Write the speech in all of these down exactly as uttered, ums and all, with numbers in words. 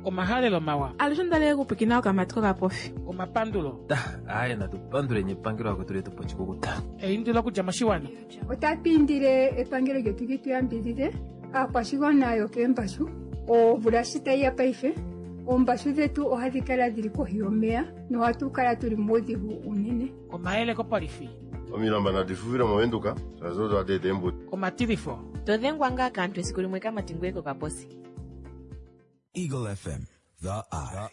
Omahalelo mawa. Alushe ondalele kupwikina okamati kokapofi. Omapandulo. Aaye natupanduleni epangelo akwetu letu pochikukuta. Eindilo okudja moshiwana. Otatu indile epangelo lyetu li tu yambidhidhe aakwashigwana yokeembashu. Omvula shi tayi ya paife, oombashu dhetu ohadhi kala dhili kohi yomeya nohatu kala tuli muudhigu unene. Omayele kopolifi. Omilamba nadi fufile movenduka shaashi odo hadi eta eembuto. Omatilifo. To dhengwa ngaa kaantu esiku limwe kamati ngoye kokaposi. Eagle F M, the eye.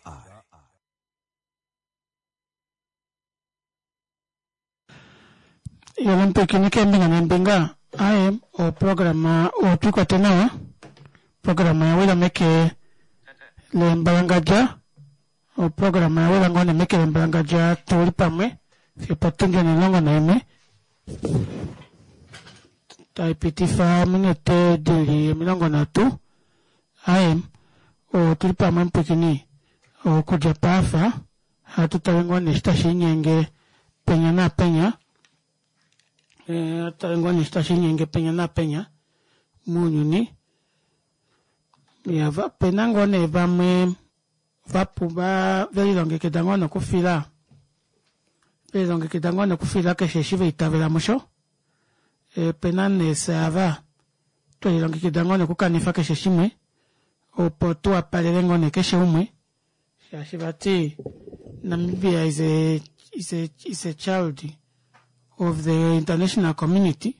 Yolompikinike keembinga neembinga aye oprograma otwiikwate nawa oprograma yawila meke lembalangadja oprograma yawila ngoo nee meke lembalangadja tuli pamwe fiyo potundi onimulongo naimwe taipitifa ominute dili omilongo nhatu aye otuli pamwe mupwiikini okudja paafa ohatu tale ngoo nee eshi tashiinyenge penya naapenya ohatu tale ngoo nee eshi tashiinyenge penya naapenya mounyuni. Opena ngoo nee vamwe velilongekida ngoo nee okufila velilongekida ngoo nee okufila keshe eshi vaitavela musho opena nee fyee ava twelilongekida ngoo nee okukanifa keshe shimwe opo tuwapalele ngoo nee keshe umwe shaashi vati Namibia is a, is a, is a child of the international community.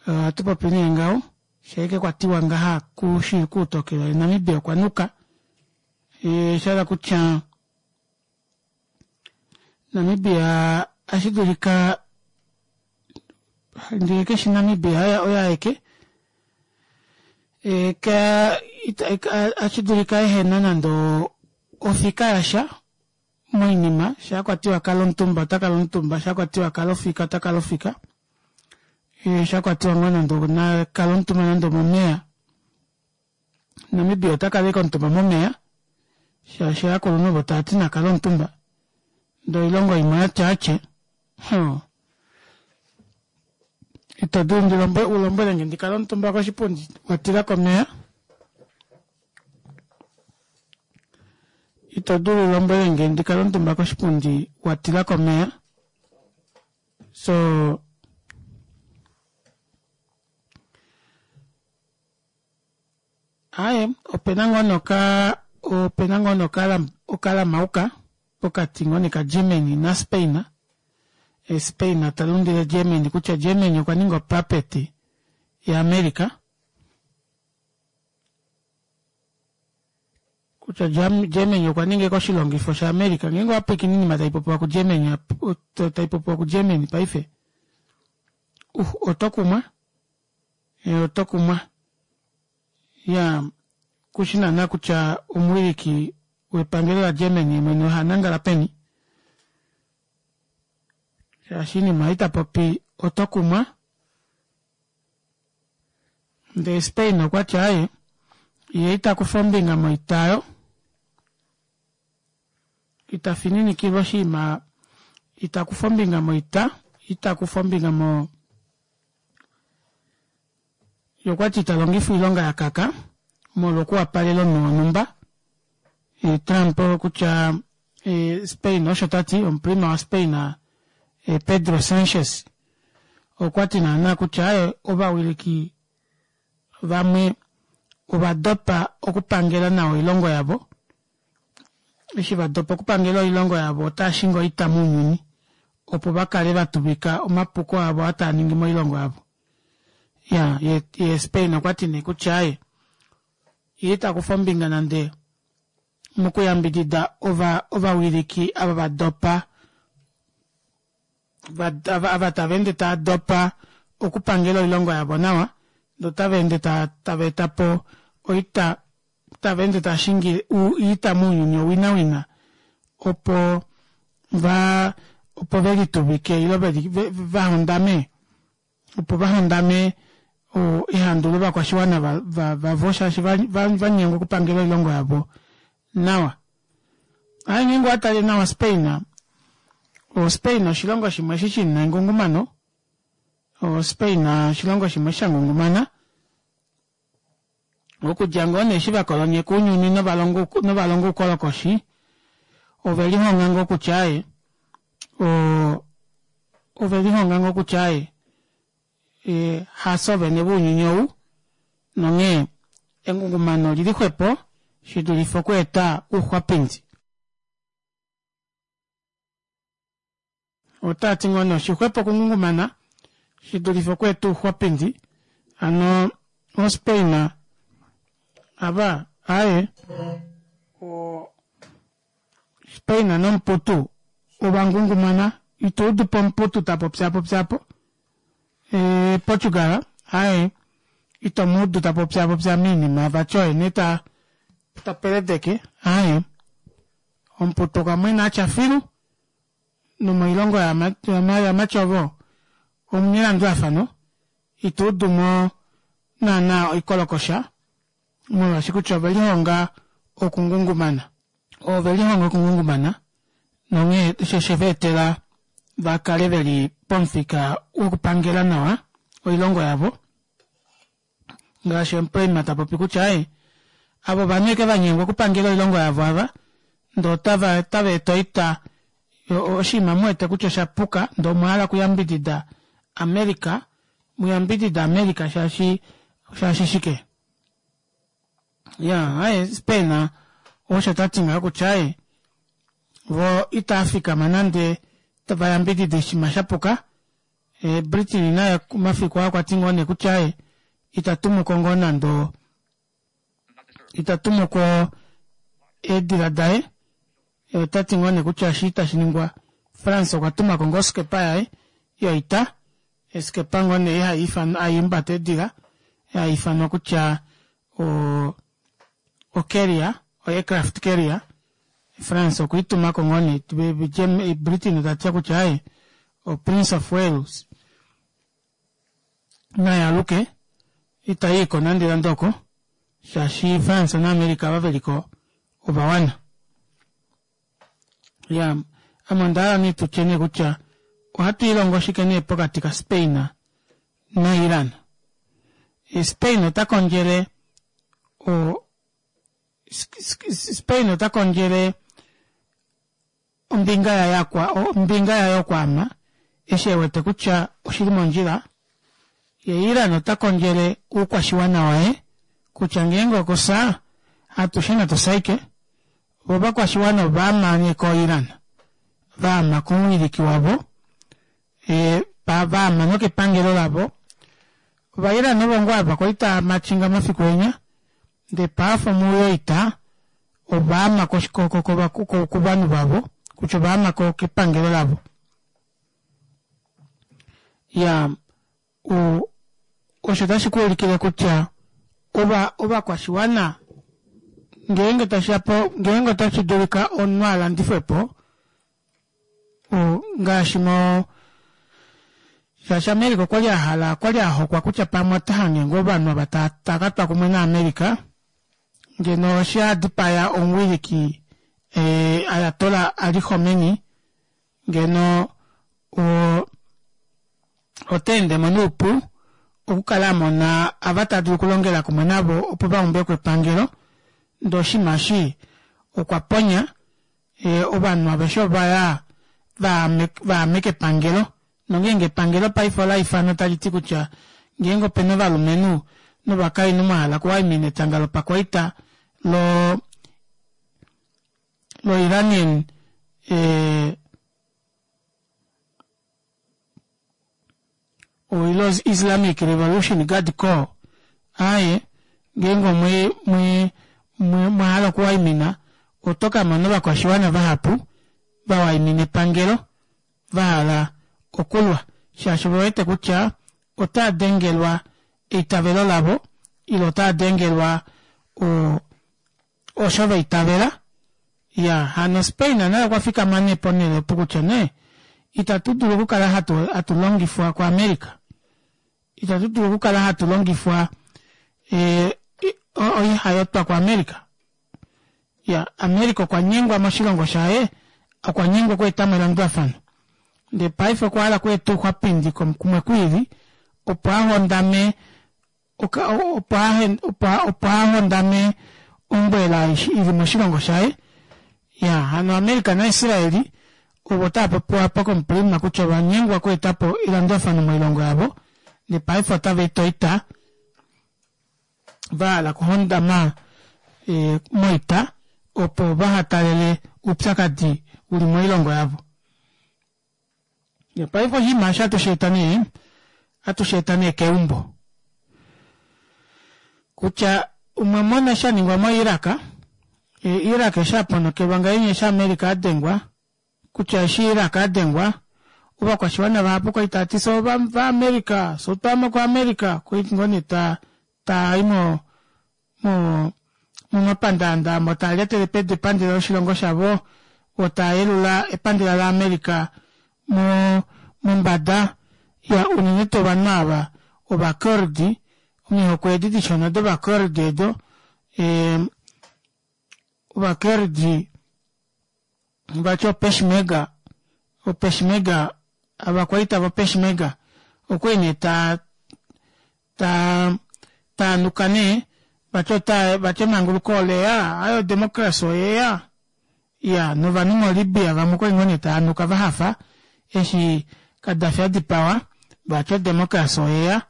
Ohatu popi nee ngaho shaike kwatiwa ngaha kushi kuutokelo Namibia okwa nuka oshahala kutya Namibia ohashi ndee keshi Namibia oye aeke ohashi ehena nande ofika yasha moinima shaakwatiwa kala omutumba otakala omutumba shaakwatiwa kala ofika otakala ofika shakwatiwa ngoo nande nakale omutumba nande omomeva Namibia otakala ashike omutumba momeva shaashi ovakulunhu ovo tavati nakale omutumba ndee oilongo imwe oyati aache hoo ito dulu ulombwelenge ndikale omutumba koshipundi watilako omeva ito dulu ulombwelenge ndikale omutumba koshipundi watilako omeva soo aaye opena ngoo nee oka opena ngoo nee okalamauka pokati ngoo nee ka Germany na Spain. Spain talundile Germany kutya Germany okwa ninga opuppet ya America kutya Germany okwa ninga oshilongifo sha America ngeenge owapwiikine oinima taipopiwa ku Germany taipopiwa ku Germany paife uh otokumwa otokumwa ya kushi naana kutya omuwiliki wepangelo la Germany mwene ohanangala peni shaashi oinima ei tapopi otokumwa ndee Spain okwati aaye yee itakufa ombinga moita aayo ita fininikilwa oshinima itakufa ombinga moita itakufa ombinga mo yee okwati italongifa oilonga yakaka molwo okuwapalela omunhu wonhumba Trump kutya Spain osho tati omuprima wa Spain Pedro Sanchez okwati naana kutya aaye ovawiliki vamwe ovadopa okupangela nawa oilongo yavo eshi vadopa okupangela oilongo yavo otaashingi oita mounyuni opo vakale vatuvika omapuko avo aa taaningi moilongo yavo. Ya ye Spain okwati nee kutya aaye yee itakufa ombinga nande mokuyambidida ova ovawiliki ava vadopa ava tava ende taadopa okupangela oilongo yavo nawa ndee otava ende tava etapo oita tava ende taashingi oita mounyuni owinawina opo va opo velituvike ile vahondame opo vahondame ehandu lovakwashiwana vavo shaashi vanyengwa okupangela oilongo yavo nawa. Aaye ngeenge owatale nawa Spain o Spain oshilongo shimwe eshi shina engungumano o Spain oshilongo shimwe shangungumana Okudja ngoo nee eshi vakolonyeka ounyuni novalonga oukolokoshi ovelihonga ngoo kutya aaye oo ovelihonga ngoo kutya aaye hafye vene vounyuni ou nonghee engungumano olili xwepo shidulife okweeta ouxwapindi. Otaati ngoo nee oshixwepo okungungumana shidulife okweeta ouxwapindi hano o Spain ava aaye o Spain nomuputu ovangungumana ituudupo omuputu tapopyaapopya aapo ee Portugal aaye itomuudu tapopyaapopya moinima vati oye nee tapeledeke aaye omuputu okwamwena atya filu nomoilongo yamatyovo omuna elandulafano ituudumo naana oikolokosha molwaashi kutya ovelihonga okungungumana ovelihonga okungungumana nonghee osho osheveetela vakale veli pomufika wokupangela nawa oilongo yavo ngaashi omuprima tapopi kutya aaye ava ovanhu ashike vanyengwa okupangela oilongo yavo ava ndee otava otaveeta oita oshinima muwete kutya oshapuka ndee omwahala okuyambidida America muyambidide America shaashi shaashi shike iyaa aaye Spain osho tati ngaho kutya aaye voo itaafikama nande vayambidide oshinima shapuka Britain naye omafiku aa okwati ngoo nee kutya aaye itatumuko ngoo nande itatumuko eedila daye otati ngoo nee kutya eshi itashiningwa France okwa tumako ngoo oskepa yaye yoita oskepa ngoo nee haihumbata eedila haifanwa kutya o o carrier o aircraft carrier France okwiitumako ngoo nee Britain tati kutya aaye o Prince of Wales nayaaluke itayiiko nande nande oko shaashi France na America ava veliko ovawana. Iyaa ame ondahala nee tutye nee kutya ohatu ilongo shike nee pokati ka Spain na Iran. Spain ota kondjele o Spain ota kondjele ombinga yaye ombinga yaye okwaama eshi ewete kutya oshili mondjila ye Iran ota kondjele oukwashiwana waye kutya ngeenge okufya atushe natu fye ashike voo ovakwashiwana ovaama nee ko Iran vaama komuwiliki wavo vaama nokepangelo lavo. Ova Iran ovo ngoo ava kwali taamatchinga mafiku enya ndee paife omuule woita ovaama kovanhu vavo kutya ovaama kepangelo lavo. Iyaa osho otashi kuulikile kutya ova ovakwashiwana ngeenge tashiya po ngeenge otashi dulika omunhu alandifwepo ngaashi mo shaashi America okwali ahala okwali ahokwa kutya pamwe otahange ngoo ovanhu ava taakatwa kumwe na America ngeno eshi adipaya omuwiliki Ayatollah Ali Khomeini ngeno o otaendemo noupu okukala amona ava tadulu okulongela kumwe navo opo vaumbeko epangelo ndee oshinima eshi okwa ponya ovanhu aveshe ovaya vaame kepangelo nongeenge epangelo paife olaifanwa taliti kutya ngeenge opena ovalumenhu novakainhu mwahala okuwaimina etanga lopakwaita lo lo Iranian ilo Islamic Revolution Guard Corps aaye ngeenge omwe mwe mwahala okuwaimina oto kamona ovakwashiwana vahapu vawaimina epangelo vahala okulwa shaashi ovewete kutya otaadengelwa eitavelo lavo ile otaadengelwa osho vaitavela. Iyaa hano Spain naye okwafikama nee ponele opo kutya nee itatu dulu okukala hatu longifwa ku America itatu dulu okukala hatu longifwa oihayotwa ku America. Iya America okwa nyengwa moshilongo shaye okwanyengwa okweetamo elandulafano ndee paife okwahala okweeta ouxwapindi kumwe kwiili opo ahondame opo opo ahondame ombwela ili moshilongo shaye. Ya hano America naIsraeli ovo tava popiwa apa komuprima kutya ovanyengwa okweetapo elandulafano moilongo yavo nepaife otava eta oita vahala okuhondama e, moita opo vahatalele oupyakadi uli moilongo yavo. Paife oshinima eshi ohatu sheeta nee ohatu sheeta nee keumbo kutya umwe mona shaningwa mo Iraq, e, Iraq eshi aponokelwa ngahenya eshi America adengwa kutya eshi Iraq adengwa ovakwashiwana vahapu kwali tavati fye ova America, fye otwaama ku America kwali ngoo nee ta tai mo mo momapandaanda amo taa lyatele pedu epandela loshilongo shavo vo taa yelula epandela la America mo mombada ya unene tuu ovanhu ava ovakurdi omihoko edi dishona dovakurdi edo ee ovakurdi vati opeshmega opeshmega ovakwaita vopeshmega okwali nee taa taa taanuka nee vati ota vati emanguluko oleya aaye odemocracy oyeya iya novanhu mo Libya vamwe okwali ngoo nee taanuka vahafa eshi Kadafi adipawa vati odemocracy oyeya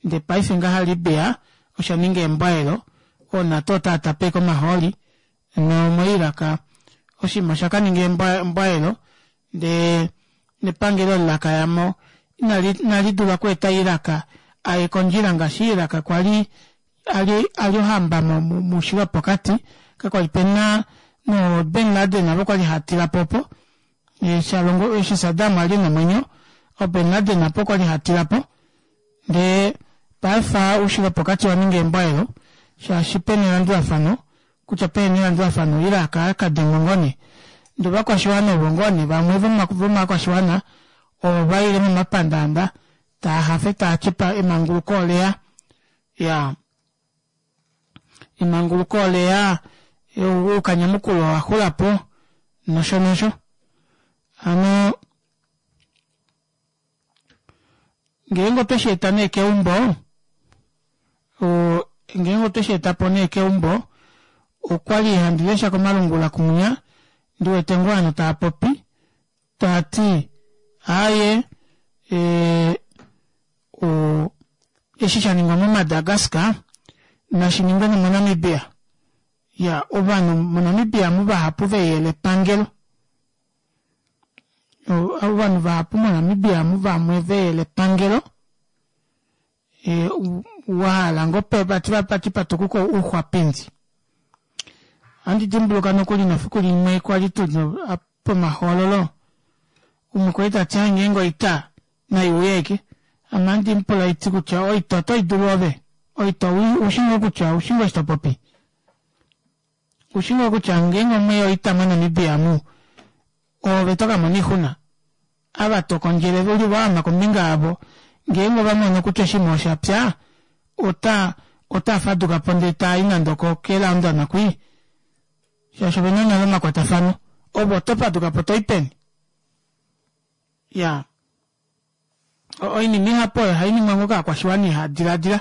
ndee paife ngaha Libya osha ninga embwaelo ooNato otaa tape ashike omahooli nomo Iraq oshinima osha kaninga embwaelo ndee nepangelo eli lakayamo inali inali dula okweeta Iraq aye kondjila ngaashi Iraq kwali ali ali ohamba moushilo wopokati kakwali pena no Bin Laden avo kwali hatilapo opo eshi eshi Saddam ali nomwenyo o Bin Laden apo kwali hatilapo ndee paife oushilo wopokati owaninga embwaelo shaashi pena elandulafano kutya pehena elandulafano Iraq akadengwa ngoo nee ndee ovakwashiwana ovo ngoo nee vamwe vomovakwashiwana ovo vaile momapandaanda taahafe taati emanguluko oleya iyaa emanguluko oleya oukanyamukulwa owaxulapo nosho nosho hano ngeenge otwe sheeta nee keumbo oo ngeenge otwe sheetapo nee keumbo okwali handi lesha komalungula kumunya ndiwete ngoo ovanhu taapopi taati aaye ee o eshi shaningwa mo Madagascar nashiningwe nomo Namibia iya ovanhu mo Namibia omu vahapu veyele epangelo ovanhu vahapu mo Namibia omu vamwe veyele epangelo e, wahala ngoo vati vati patukuke ouxwapindi ohandi dimbuluka nokuli nefiku limwe kwali tuli pomahoololo umwe kwali tati ngeenge oita naiuye ashike ame ohandi mupula haiti kutya oita oto idulu ove oita oushi ngoo kutya oushi ngoo eshi topopi oushi ngoo kutya ngeenge omweya oita mo Namibia omu oove tokamona oixuna ava tokondjele uli waama kombinga yavo ngeenge ovamono kutya oshinima oshapya ota ota fadukapo ndee tai nande oko ke London kwii shaashi ovena nale omakwatafano ove oto fadukapo toi peni ya oinima ihapu oyo ohainingwa ngoo kovakwashiwana ihadilaadila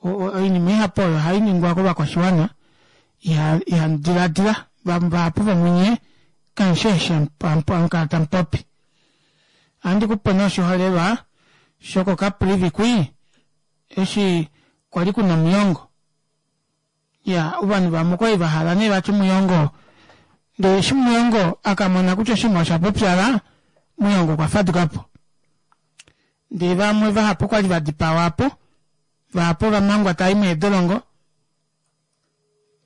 oinima ihapu oyo ohainingwa kovakwashiwana ihadilaadila vahapu vomunye kamushi eshi hamukala tamupopi ohandi kupe nee oshiholelwa shoko Caprivi kwii eshi kwali kuna omuyongo iya ovanhu vamwe okwali vahala nee vati muyongo ndee eshi muyongo akamona kutya oshinima osha pupyala muyongo okwa fadukapo ndee vamwe vahapu okwali vadipawa apo vahapu ovamangwa tavai meedolongo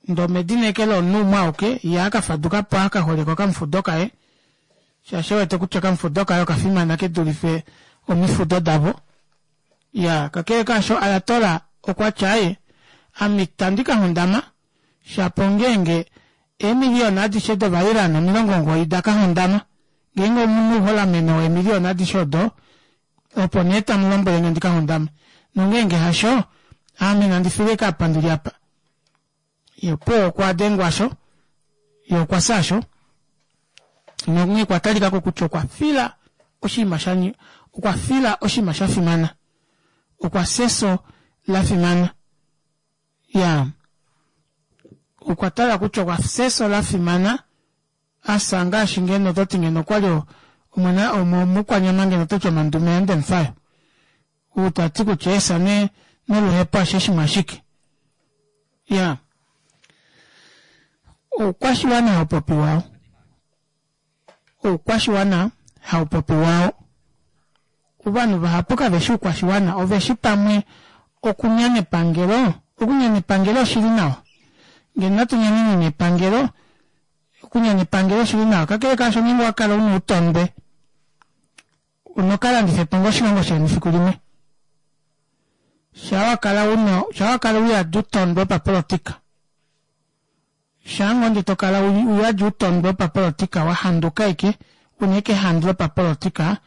ndee omedinekelo lomunhu umwe auke yee akafadukapo akaholeka okamufudo kaye shaashi ewete kutya okamufudo kaye okafimana kedulife omifudo davo iya kakele kaasho Ayatollah okwati aaye ame itandi kahondama shapo ongeenge eemiliyona adishe dova Iran omilongo omugoyi dakahondama ngeenge omuna ouholameno weemiliyona adishe odo opo nee tamulombwelenge ndikahondame nongeenge hasho ame nandi file ashike apa ndili apa ye opuwo okwa dengwa sho ye okwa fyasho nonghee okwa talikako kutya okwa fila oshinima sha okwa fila oshinima shafimana okwa fya efyo la fimana. Ya, okwa tala kutya okwa fya efyo la fimana asa ngaashi ngeno toti ngeno okwali omwana omukwanyama ngeno toti omandume yaNdemufayo. Ou tati kutya efyo ne noluhepo ashe shimwe ashike. Ya, oukwashiwana haupopiwa oukwashiwana haupopiwa ovanhu vahapu kaveshi oukwashiwana oveshi pamwe okunyana epangelo okunyana epangelo oshili nawa ngeno natu nyaneneni epangelo okunyana epangelo oshili nawa kakele kaasho ngeenge owakala una outondwe unokalandifa po ngoo oshilongo sheni efiku limwe shaa wakala una shaa wakala uyadi outondwe wopapolotika shaa ngoo ndee tokala uyadi outondwe wopapolotika wahanduka ashike una ashike ehandu lopapolotika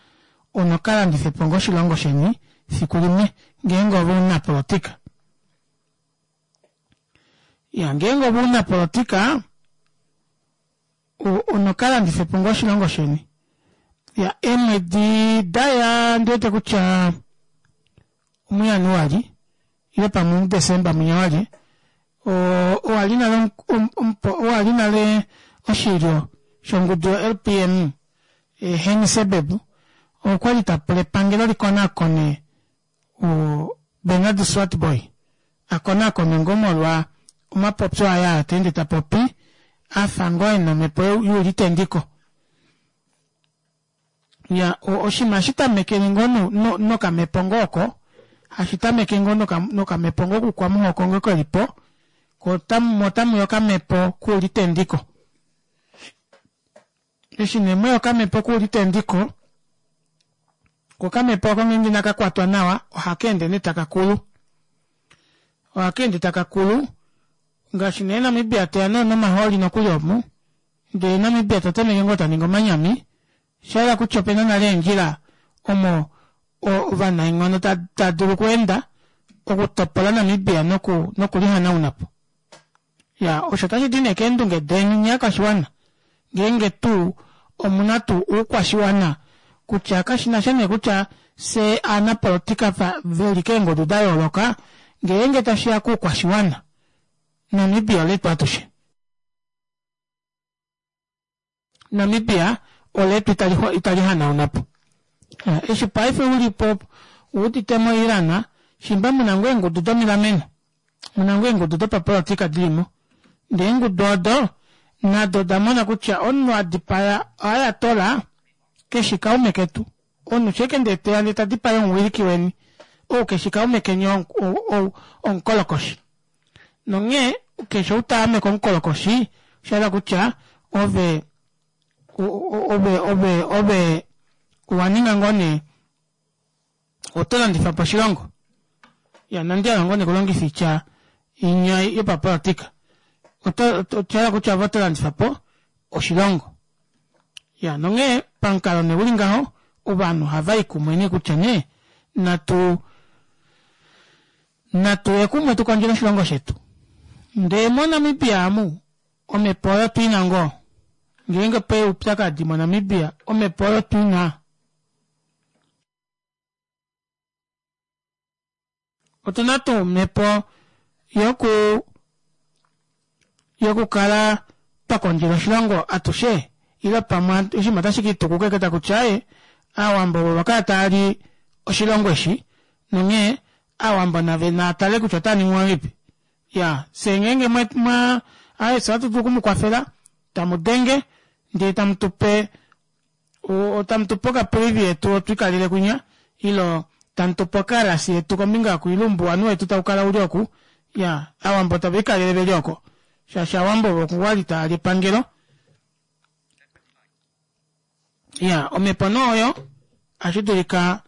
unokalandifa ngoo oshilongo sheni efiku limwe ngeenge ove omunapolotika. Ya ngeenge ove omunapolotika unokalandifa po ngoo oshilongo sheni. Ya eemwedi daya ondiwete kutya omuJanuali ile pamwe omuDecember mwinya wali oo owali nale owali nale oshilyo shongudu yo L P M Henny Seibeb okwali tapula epangelo likonakone Bernard Swartbooi akonakonwe ngoo molwa omapopyo aye aa taende tapopi afa ngoo ena omepo youlitendiko. Ya oshinima ohashi tamekele ngoo nokamepo ngoo oko hashi tameke ngoo nokamepo ngoo koukwamuhoko ngoo kelipo ko moo otamuya okamepo koulitendiko. Eshi nee mweya okamepo koulitendiko koo okamepo aako ngeenge inakakwatwa nawa ohakeende nee takakulu ohakeende takakulu ngaashi nee Namibia teya nee nomahooli nokuli omu ndee Namibia tatameke ngoo taningi omanyami oshayela kutya opena nale eendjila omo ovanaenghono tadulu okweenda okutopola Namibia noku nokulihanaunapo. Ya osho otashidi nee keendunge deni nyee ovakwashiwana ngeenge tuu omuna tuu oukwashiwana kutya kashinasha nee kutya fyee ovanapolotika veli keengudu dayooloka ngeenge tashiya koukwashiwana Namibia oletu atushe. Namibia oletu itali hanaunapo. Eshi paife ulipo uudite mo Iran shimba muna ngoo eengudu domilameno muna ngoo eengudu dopapolotika dilimo ndee eengudu odo nado odamona kutya omunhu adipaya ayatollah keshi kaume ketu omunhu shaike ndee teya ndee tadipaya omuwiliki weni ou keshi kaume keni omukolokoshi nonghee keshe ou taame komukolokoshi oshahala kutya ove ove ove ove owaninga ngoo nee oto landifapo oshilongo. Ya inandi hala ngoo nee okulongifa oitya inya yopapolotika oshahala kutya ove oto landifapo oshilongo. Ya nonghee pamukalo nee uli ngaho ovanhu ohavayi kumwe nee kutya nee natu natuye kumwe tukondjele oshilongo shetu. Ndee mo Namibia aamu omepo oyo otwiina ngoo ngeenge opeya oupyakadi mo Namibia omepo oyo otwiina otuna tuu omepo yoku yokukala twakondjela oshilongo atushe ile pamwe oshinima otashi kiitukuka ashike takutya aaye aawambo ovo vakala taali oshilongo eshi nonghee aawambo nave naatale kutya otaaningi ngahelipi. Ya fyee ngeenge mwa aaye fyee ohatu dulu okumukwafela tamudenge ndee tamutupe tamutupe okapreview yetu twikalele kwinya ile tamutupe okalasi yetu kombinga yoku ile oumbuwanhu wetu taukala uli oku ya aawambo taviikalele veli oko shaashi aawambo ovo kwali taali epangelo. Ya omepo nee oyo ohashidulika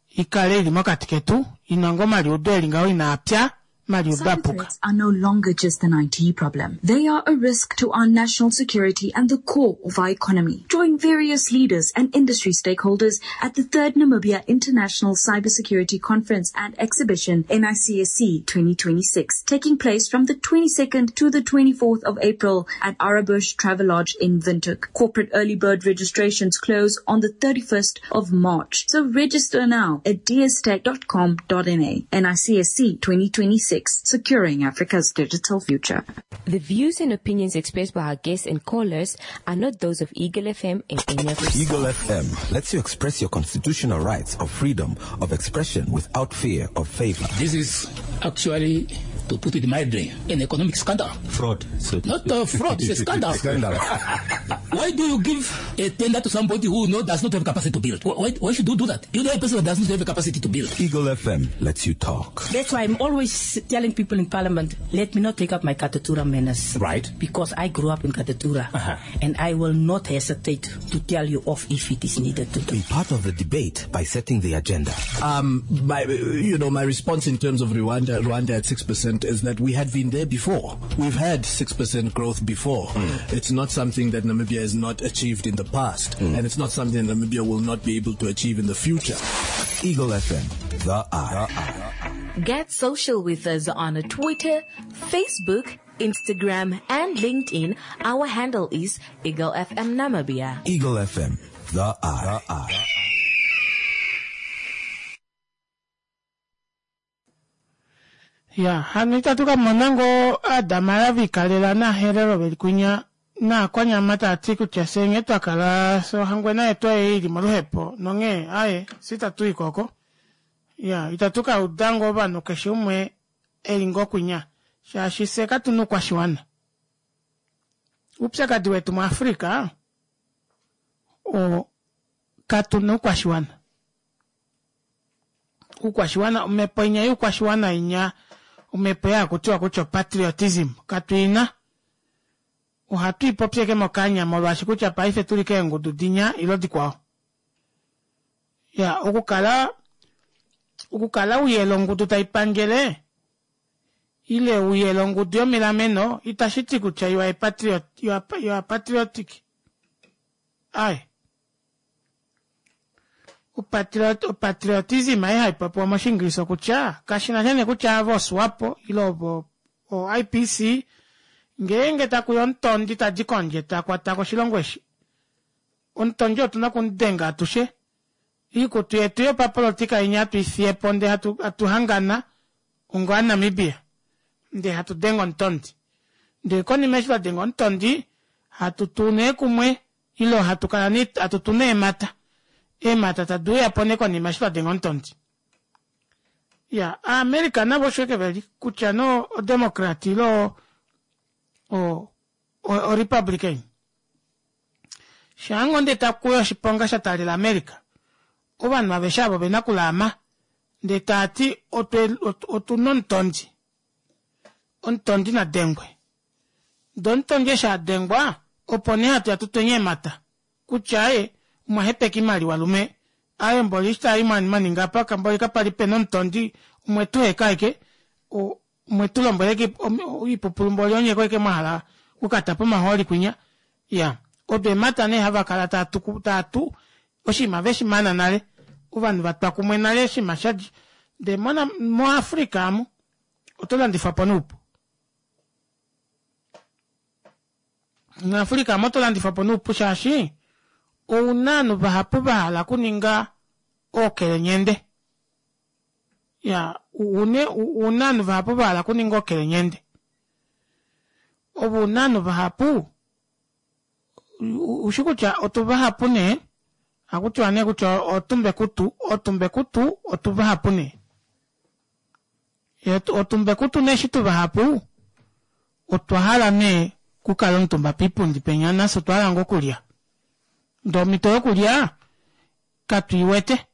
ikale ili mokati ketu ina ngoo omaliudo eli ngaho inaapya Maliuba Cyber Puka. threats are no longer just an I T problem. They are a risk to our national security and the core of our economy. Join various leaders and industry stakeholders at the third Namibia International Cybersecurity Conference and Exhibition, N I C S C twenty twenty-six, taking place from the twenty-second to the twenty-fourth of April at Arabush Travelodge in Windhoek. Corporate early bird registrations close on the thirty-first of March. So register now at d s tech dot com dot n a. N I C S C twenty twenty-six. Securing Africa's digital future. The views and opinions expressed by our guests and callers are not those of Eagle F M and any of its Eagle F M lets you express your constitutional rights of freedom of expression without fear of favor. This is actually, to put it mildly, an economic scandal. Fraud. So Not a fraud, it's a scandal. Scandal. Why do you give a tender to somebody who no, does not have capacity to build? Why, why should you do that? You know a person that does not have a capacity to build. Eagle F M lets you talk. That's why I'm always telling people in Parliament, let me not take up my Katutura manners. Right. Because I grew up in Katutura. Uh-huh. And I will not hesitate to tell you off if it is needed to do. Be part of the debate by setting the agenda. Um, my, you know, my response in terms of Rwanda, Rwanda at six percent is that we had been there before. We've had six percent growth before. Mm. It's not something that Namibia has not achieved in the past, mm. and it's not something that Namibia will not be able to achieve in the future. Eagle F M, the eye. The eye. Get social with us on Twitter, Facebook, Instagram, and LinkedIn. Our handle is Eagle F M Namibia. Eagle F M, the eye. The eye. Ya, hano itatu ka mona ngoo Aadamara vikalela naHerero veli kwinya naakwanyama taya kutya fye nghee twa kala fye ohangwena yetu ei ili moluhepo nonghee aye fye itatu i koko. Ya, itatu ka uda ngoo ovanhu keshe umwe eli ngoo kwinya shaashi fye katuna oukwashiwana. Oupyakadi wetu muAfrika o katuna oukwashiwana. Oukwashiwana, omhepo inya youkwashiwana inya omhepo yakutiwa kutya patriotism katuina. Ohatu ipopyeke mokanya molwaashi kutya paife tuli keengudu dinya ilo dikwao. Ya, okukala okukala uyela ongudu taipangele ile uyela ongudu yomilameno itashi ti kutya you are patriot, you are, you are patriotic. Ai. Upatriot, patriotism ai haipopiwa moshiingilisa kutya kashina shene kutya avo SWAPO ile ovo o I P C ngeenge takuya omutondi tadi kondje takwata koshilongo eshi. Omutondi otuna okumudenga atushe. Iikutu yetu yopapolitika inya hatu ifiyepo ndee hatu, hatuhangana ongo aNamibia. Ndee hatu denga omutondi. Ndee konima eshi twa denga omutondi hatu tu nee kumwe ile hatu kala ni hatu tu neemata. Eemata tadi uya po nee konima eshi twa denga omutondi. Ya, America navo osho eke veli kutya no o Democrat ile o, o, o Republican. Shaango ndee takuya oshiponga sha taalela America. Ovanhu aveshe avo vena okulaama ndee taati otuna omutondi. Omutondi na dengwe. Ndee omutondi eshi a dengwa opo nee hatu ya tutwenye eemata. Kutya aye omwahepeka imaliwa lume. Aye mboli eshi tayi maninga apa kamboli kapali pena omutondi umwe tuheka eke umwe tulombweleke oipupulu mboli onye koike mwahala okukata pomahooli kwinya. Ya, odo eemata nee hava kala tatu tatu oshinima veshimana nale. Ovanhu vatwa kumwe nale oshinima shadja. Ndee mona moAfrika amu oto landifwa po noupu. MuAfrika amu oto landifwa po noupu shaashi ouna ovanhu vahapu vahala okuninga ookelenyende. Ya, une ouna ovanhu vahapu vahala okuninga ookelenyende. Ovo una ovanhu vahapu ushi kutya otu vahapu nee akutiwa nee kutya otumbekutu, otumbekutu otu vahapu nee. Otumbekutu nee eshi tu vahapu otwa hala nee kukala omutumba piipundi penya nafye otwa hala ngoo okulya. Ndee omhito yokulya katuiwete.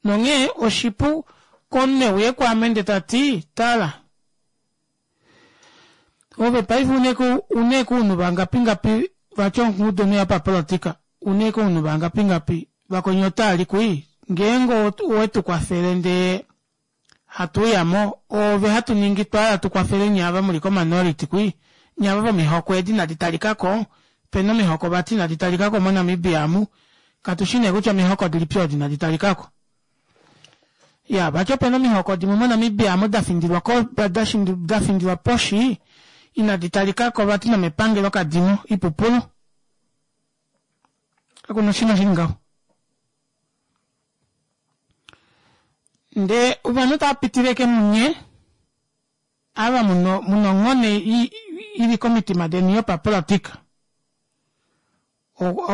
Nonghee oshipu komunhu euye kwaame ndee tati tala ove paife une ounhu vangapi ngapi vati ongudu nee yopapolitika une ounhu vangapi ngapi vakwenye otaali kui ngeenge owetu kwafele ndee Hatuuyamo ove hatu ningi twala tukwafele nye ava muli kominority kwi nye ava vomihoko edi inadi talikako opena omihoko vati inadi talikako moNamibia amu katushi nee kutya omihoko dilipi odo inadi talikako ya vati opena omihoko dimwe moNamibia amu dafindilwa ko dafindilwa poshi inadi talikako vati nomepangelo kadimo ipupulu kakuna oshinima shili ngaho ndee ovanhu tavapitileke munye ava muno onghone ili komitima deni yopapolitika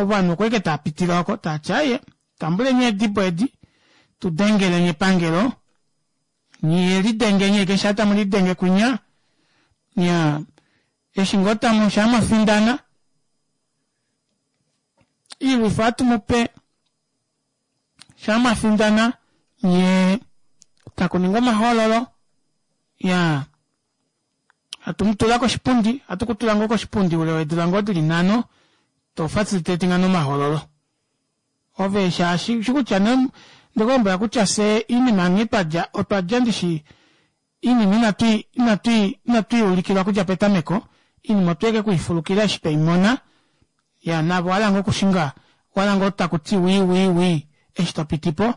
ovanhu okweke taapitile oko taati aaye tambuleni eedibo edi tudengeleni epangelo nyee lidengeni eke shaa tamu lidenge kwinya nya eshi ngoo tamu shaa mwafindana iilwifo ohatumupe shaa mwafindana nyee takuningwa omahoololo yaa hatumutula koshipundi hatukutula ngoo koshipundi oule weedula ngoo dili nhano to facilitatinga nomahoololo ove shaashi ushikutya ndikulombwela kutya fyee oinima nghee twadja otwadja ndishi oinima inatui inatui inatwiiulikilwa okudja petameko oinima otweke kwiifulukila eshi tweimona ya navo owahala ngoo okushinga owahala ngoo takuti wii wii wii eshi topitipo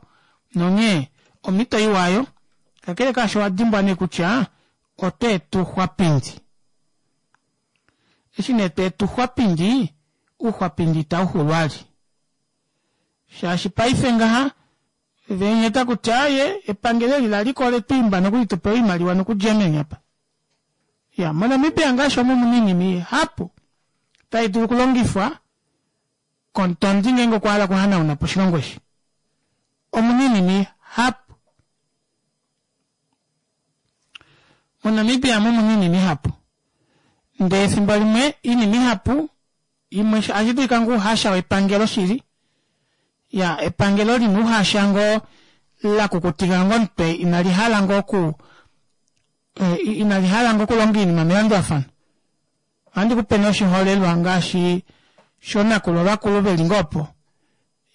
nonghee omito iwa aayo kakele kaasho owadimbwa nee kutya otweeta ouxwapindi eshi nee tweeta ouxwapindi ouxwapindi itauxulu vali shaashi paife ngaha venya takuti aaye epangelo eli laliko oletwiimba nokuli tupewe oimaliwa noku Germany apa ya moNamibia ngaashi omu omuna oinima ihapu tai dulu okulongifwa komutondi ngeenge okwa hala okuhanaunapo oshilongo eshi omuna oinima ihapu moNamibia omu omuna oinima ihapu ndee efimbo limwe oinima ihapu imwe ohashidulika ngoo ouhasha wepangelo shili ya epangelo lina ouhasha ngoo lakukutika ngoo omutwe inalihala ngoo oku inalihala ngoo okulonga oinima melandulafano ohandi kupe nee oshiholelwa ngaashi shoonakulwa vakulu veli ngoo opo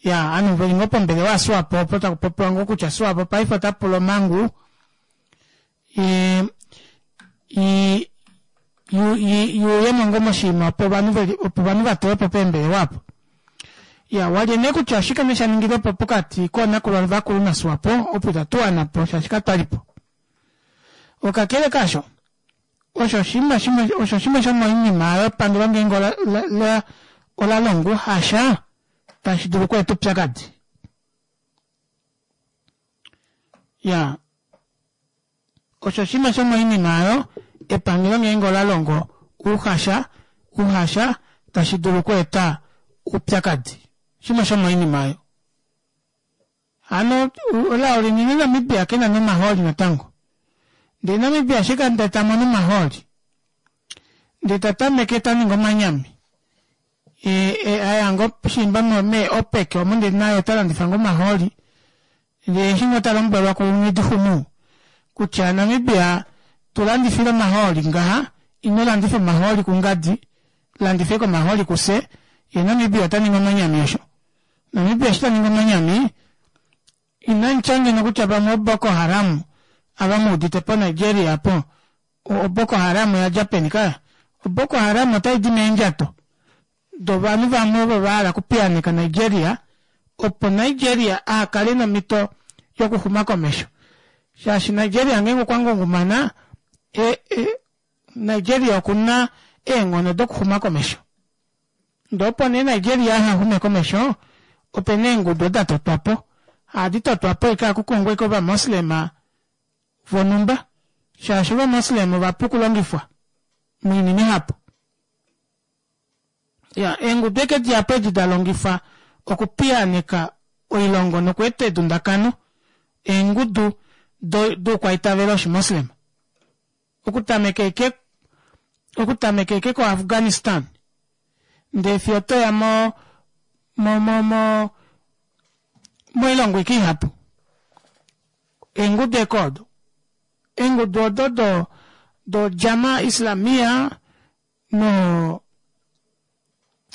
ya ovanhu veli ngoo pombelewa yaSwapo opo takupopiwa ngoo kutya Swapo paife otapula omangu i yuuyemo ngoo moshinima opo ovanhu veli opo ovanhu vatulwepo peembelewa apo iya walye nee kutya oshike nee shaningilwepo pokati koonakulwa vakulu naSwapo opo itatuwanapo shaashi katwalipo okakele kaasho osho oshinima shimwe osho shimwe shomoinima oyo epangelo ngeenge ola olalongo ouhasha tashi dulu okweeta oupyakadi ya osho shimwe shomoinima oyo epangelo ngeenge ola longo ouhasha ouhasha tashi dulu okweeta oupyakadi shimwe shomoinima oyo hano elao linene Namibia kena nomahooli natango ndee Namibia ashike ndee tamono omahooli ndee tatameke taningi omanyami aya ngoo shiimba mee OPEC omo ndee naye otalandifa ngoo omahooli ndee eshi ngoo talombwelwa ku Nghidixumu kutya Namibia tulandifile omahooli ngaha ino landifa omahooli kungadi landifa ashike omahooli kufye yee Namibia otaningi omanyami osho Namibia eshi taningi omanyami inamutya ngeno kutya pamwe o Boko Haram ava muudite po Nigeria apo o Boko Haram oyadja peni kaya o Boko Haram otaidi meendjato dovanhu vamwe ovo vahala okupiyaaneka Nigeria opo Nigeria ahakale nomito yokuxuma komesho shaashi Nigeria ngeenge okwa ngungumana e, e, Nigeria okuna eenghono dokuxuma komesho ndee opo nee Nigeria ahaxume komesho opena eengudu odo datotwapo ohadi totwapo ashike ohakukongwa ashike ovamoslema vonhumba shaashi ovamoslem ovapu okulongifwa moinima ihapu ya eengudu eke dihapu edi dalongifwa okupiyaaneka oilongo nokweeta edundakano eengudu doukwaitavelo oshimoslem okutameka eke okutameka eke ko Afghanistan ndee fiyo otoya mo mo mo mo moilongo ike ihapu eengudu eke odo eengudu odo do do Jama Islamia no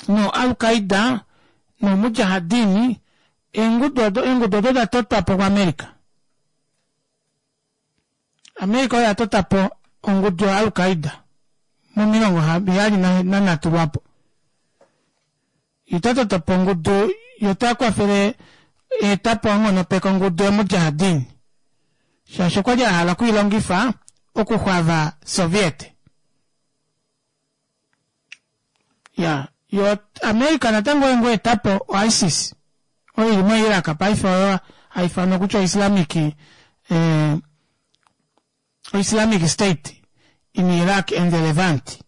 no Al-Qaida no Mujahadini eengudu odo eengudu odo da totwapo kuAmerica America oyo yatota po ongudu ya Al-Qaeda momilongo heyali nanhatu lwapo. Ita po ongudu yo kwafele etapo onghonopeka ongudu yomujahadin shaashi okwali ahala okwiilongifa okuxwava Soviet. Ya yo America natango oyo ngoo etapo o ISIS oyo ili mo Iraq paife oyo haifanwa kutya Islamic eh, Islamic State in Iraq and the Levant.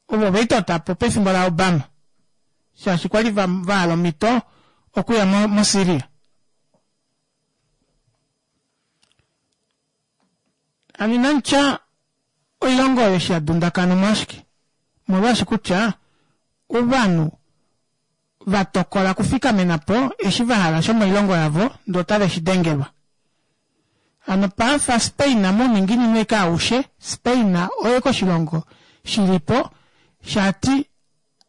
Ovo veitotapo pefimbo la Obama shaashi kwali vahala omhito okuya mo, mo Syria. Ani nantya oilongo oyo eshi yadundakana omwashike molwaashi kutya ovanhu vatokola okufikamena po eshi vahala shomoilongo yavo ndee otave shi dengelwa. Hano pafa Spain mouninginino eke aushe Spain oye koshilongo shilipo shati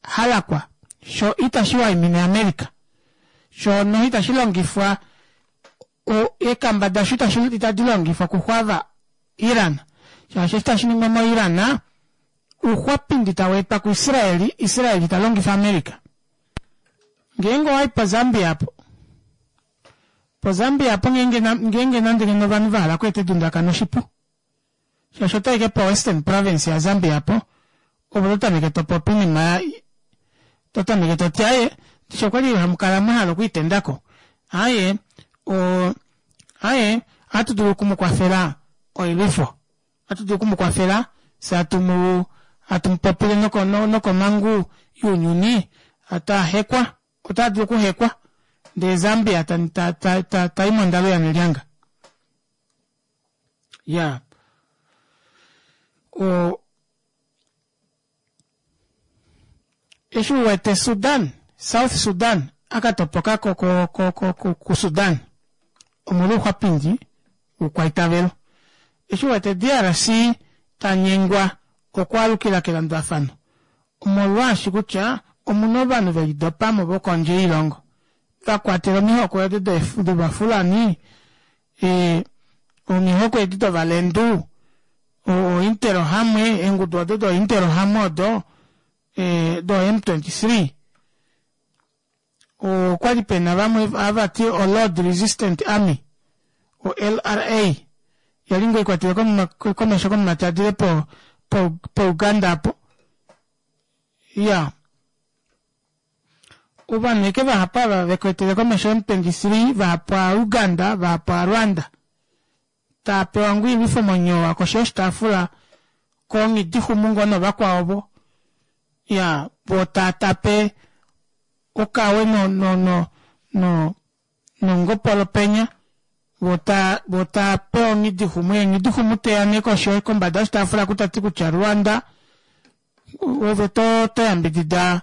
halakwa sho itashi waimine America sho no itashi longifwa eekamba dasho itashi itadi longifwa okuxwava Iran shaashi eshi tashi ningwa mo Iran ouxwapindi taweetwa ku Israeli Israeli talongifa America. Ngeenge owayi po Zambia apo po Zambia apo ngeenge ngeenge nande ngeno ovanhu vahala okweeta edundakano oshipu shaashi otaike po Western Province ya Zambia apo ovo totameke topopi oinima totameke toti aaye ndishi okwali hamukala mwahala okwiitendako aaye o aaye ohatu dulu okumukwafela oilwifo ohatu dulu okumukwafela fye hatu hatu mupopile noko nokomangu younyuni atahekwa ota dulu okuhekwa ndee Zambia ta, ta, ta, ta, tai mondalo yanelyanga ya o eshi uwete Sudan South Sudan akatopoka ko ko ko ko, ko, ku Sudan omolwa ouxwapindi wokwaitavelo. Eshi uwete D R C tanyengwa okwaalukila kelandulafano omolwaashi kutya omuna ovanhu velidopamo vokondje yoilongo vakwatela omihoko edi dovafulani e, omihoko edi dovalendu ointerahamwe eengudu odo dointerahamwe odo e, do M twenty-three okwali pena vamwe avati o Lord Resistant Army o L R A yali ngoo ikwatele komesho komumati adile po, po, po Uganda apo ya ovanhu eke vahapu ava vekwetele komesho M twenty-three vahapu a Uganda vahapu a Rwanda tapewa ngoo oilwifo monyowa koshi yoshitaafula konghidihumu ngoo novakwao vo ya vo tatape okawe no no no no nongopolo penya vota vota pewa onghidihumu eenghidhumu teya nee koshi kombada yoshitaafula kutati kutya Rwanda ove to to yambidida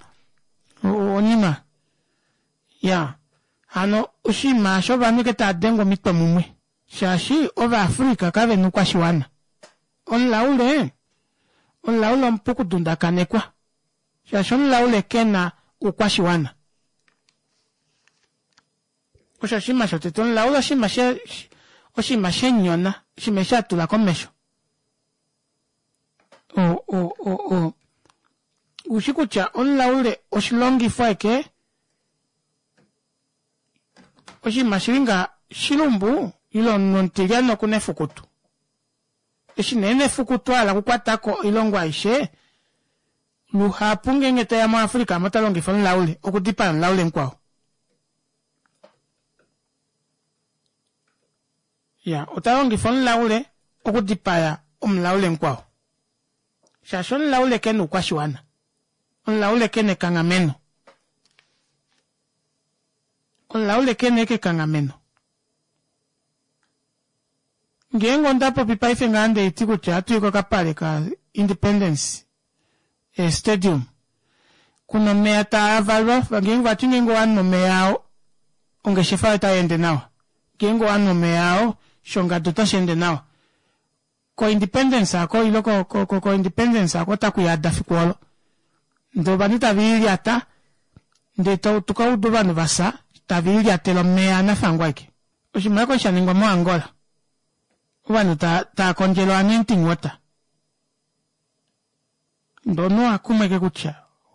onima ya hano oshinima osho ovanhu eke tava dengwa omitwe mumwe shaashi Ovaafrika kavena oukwashiwana. Omulaule omulaule omupu okudundakanekwa shaashi omulaule kena oukwashiwana. Osho oshinima shotete omulaule oshinima she oshinima shenyona oshinima eshi atula komesho o o o o ushi kutya omulaule oshilongifo eke oshinima shilinga shilumbu ile omutilyane okuna efukutu eshi nee nefukutu ahala okukwatako oilongo aishe luhapu ngeenge teya moAfrika mo talongifa omulaule okudipaya omulaule mukwao ya otalongifa omulaule okudipaya omulaule mukwao shaashi omulaule kena oukwashiwana omulaule kena ekanghameno omulaule kena ekekanghameno ngeenge onda popi paife ngaa ndeiti kutya atuyi kokapale ka Independence eh, Stadium kuna omeya taavalwa ngeenge vati ngeenge owanhu omeya ao ongeshefa otayi ende nawa ngeenge owanhu omeya ao shongadu otashi ende nawa ko Independence ako ilo ko, ko, ko, ko Independence ako otaku yada fiku olo ndee ovanhu tava ilyata ndee tukauda ovanhu vasa tava ilyatele omeya anafangwa eke oshinima oko shaningwa moAngola Ovanhu tava kondjele anointing water. Ndono akumweke kutya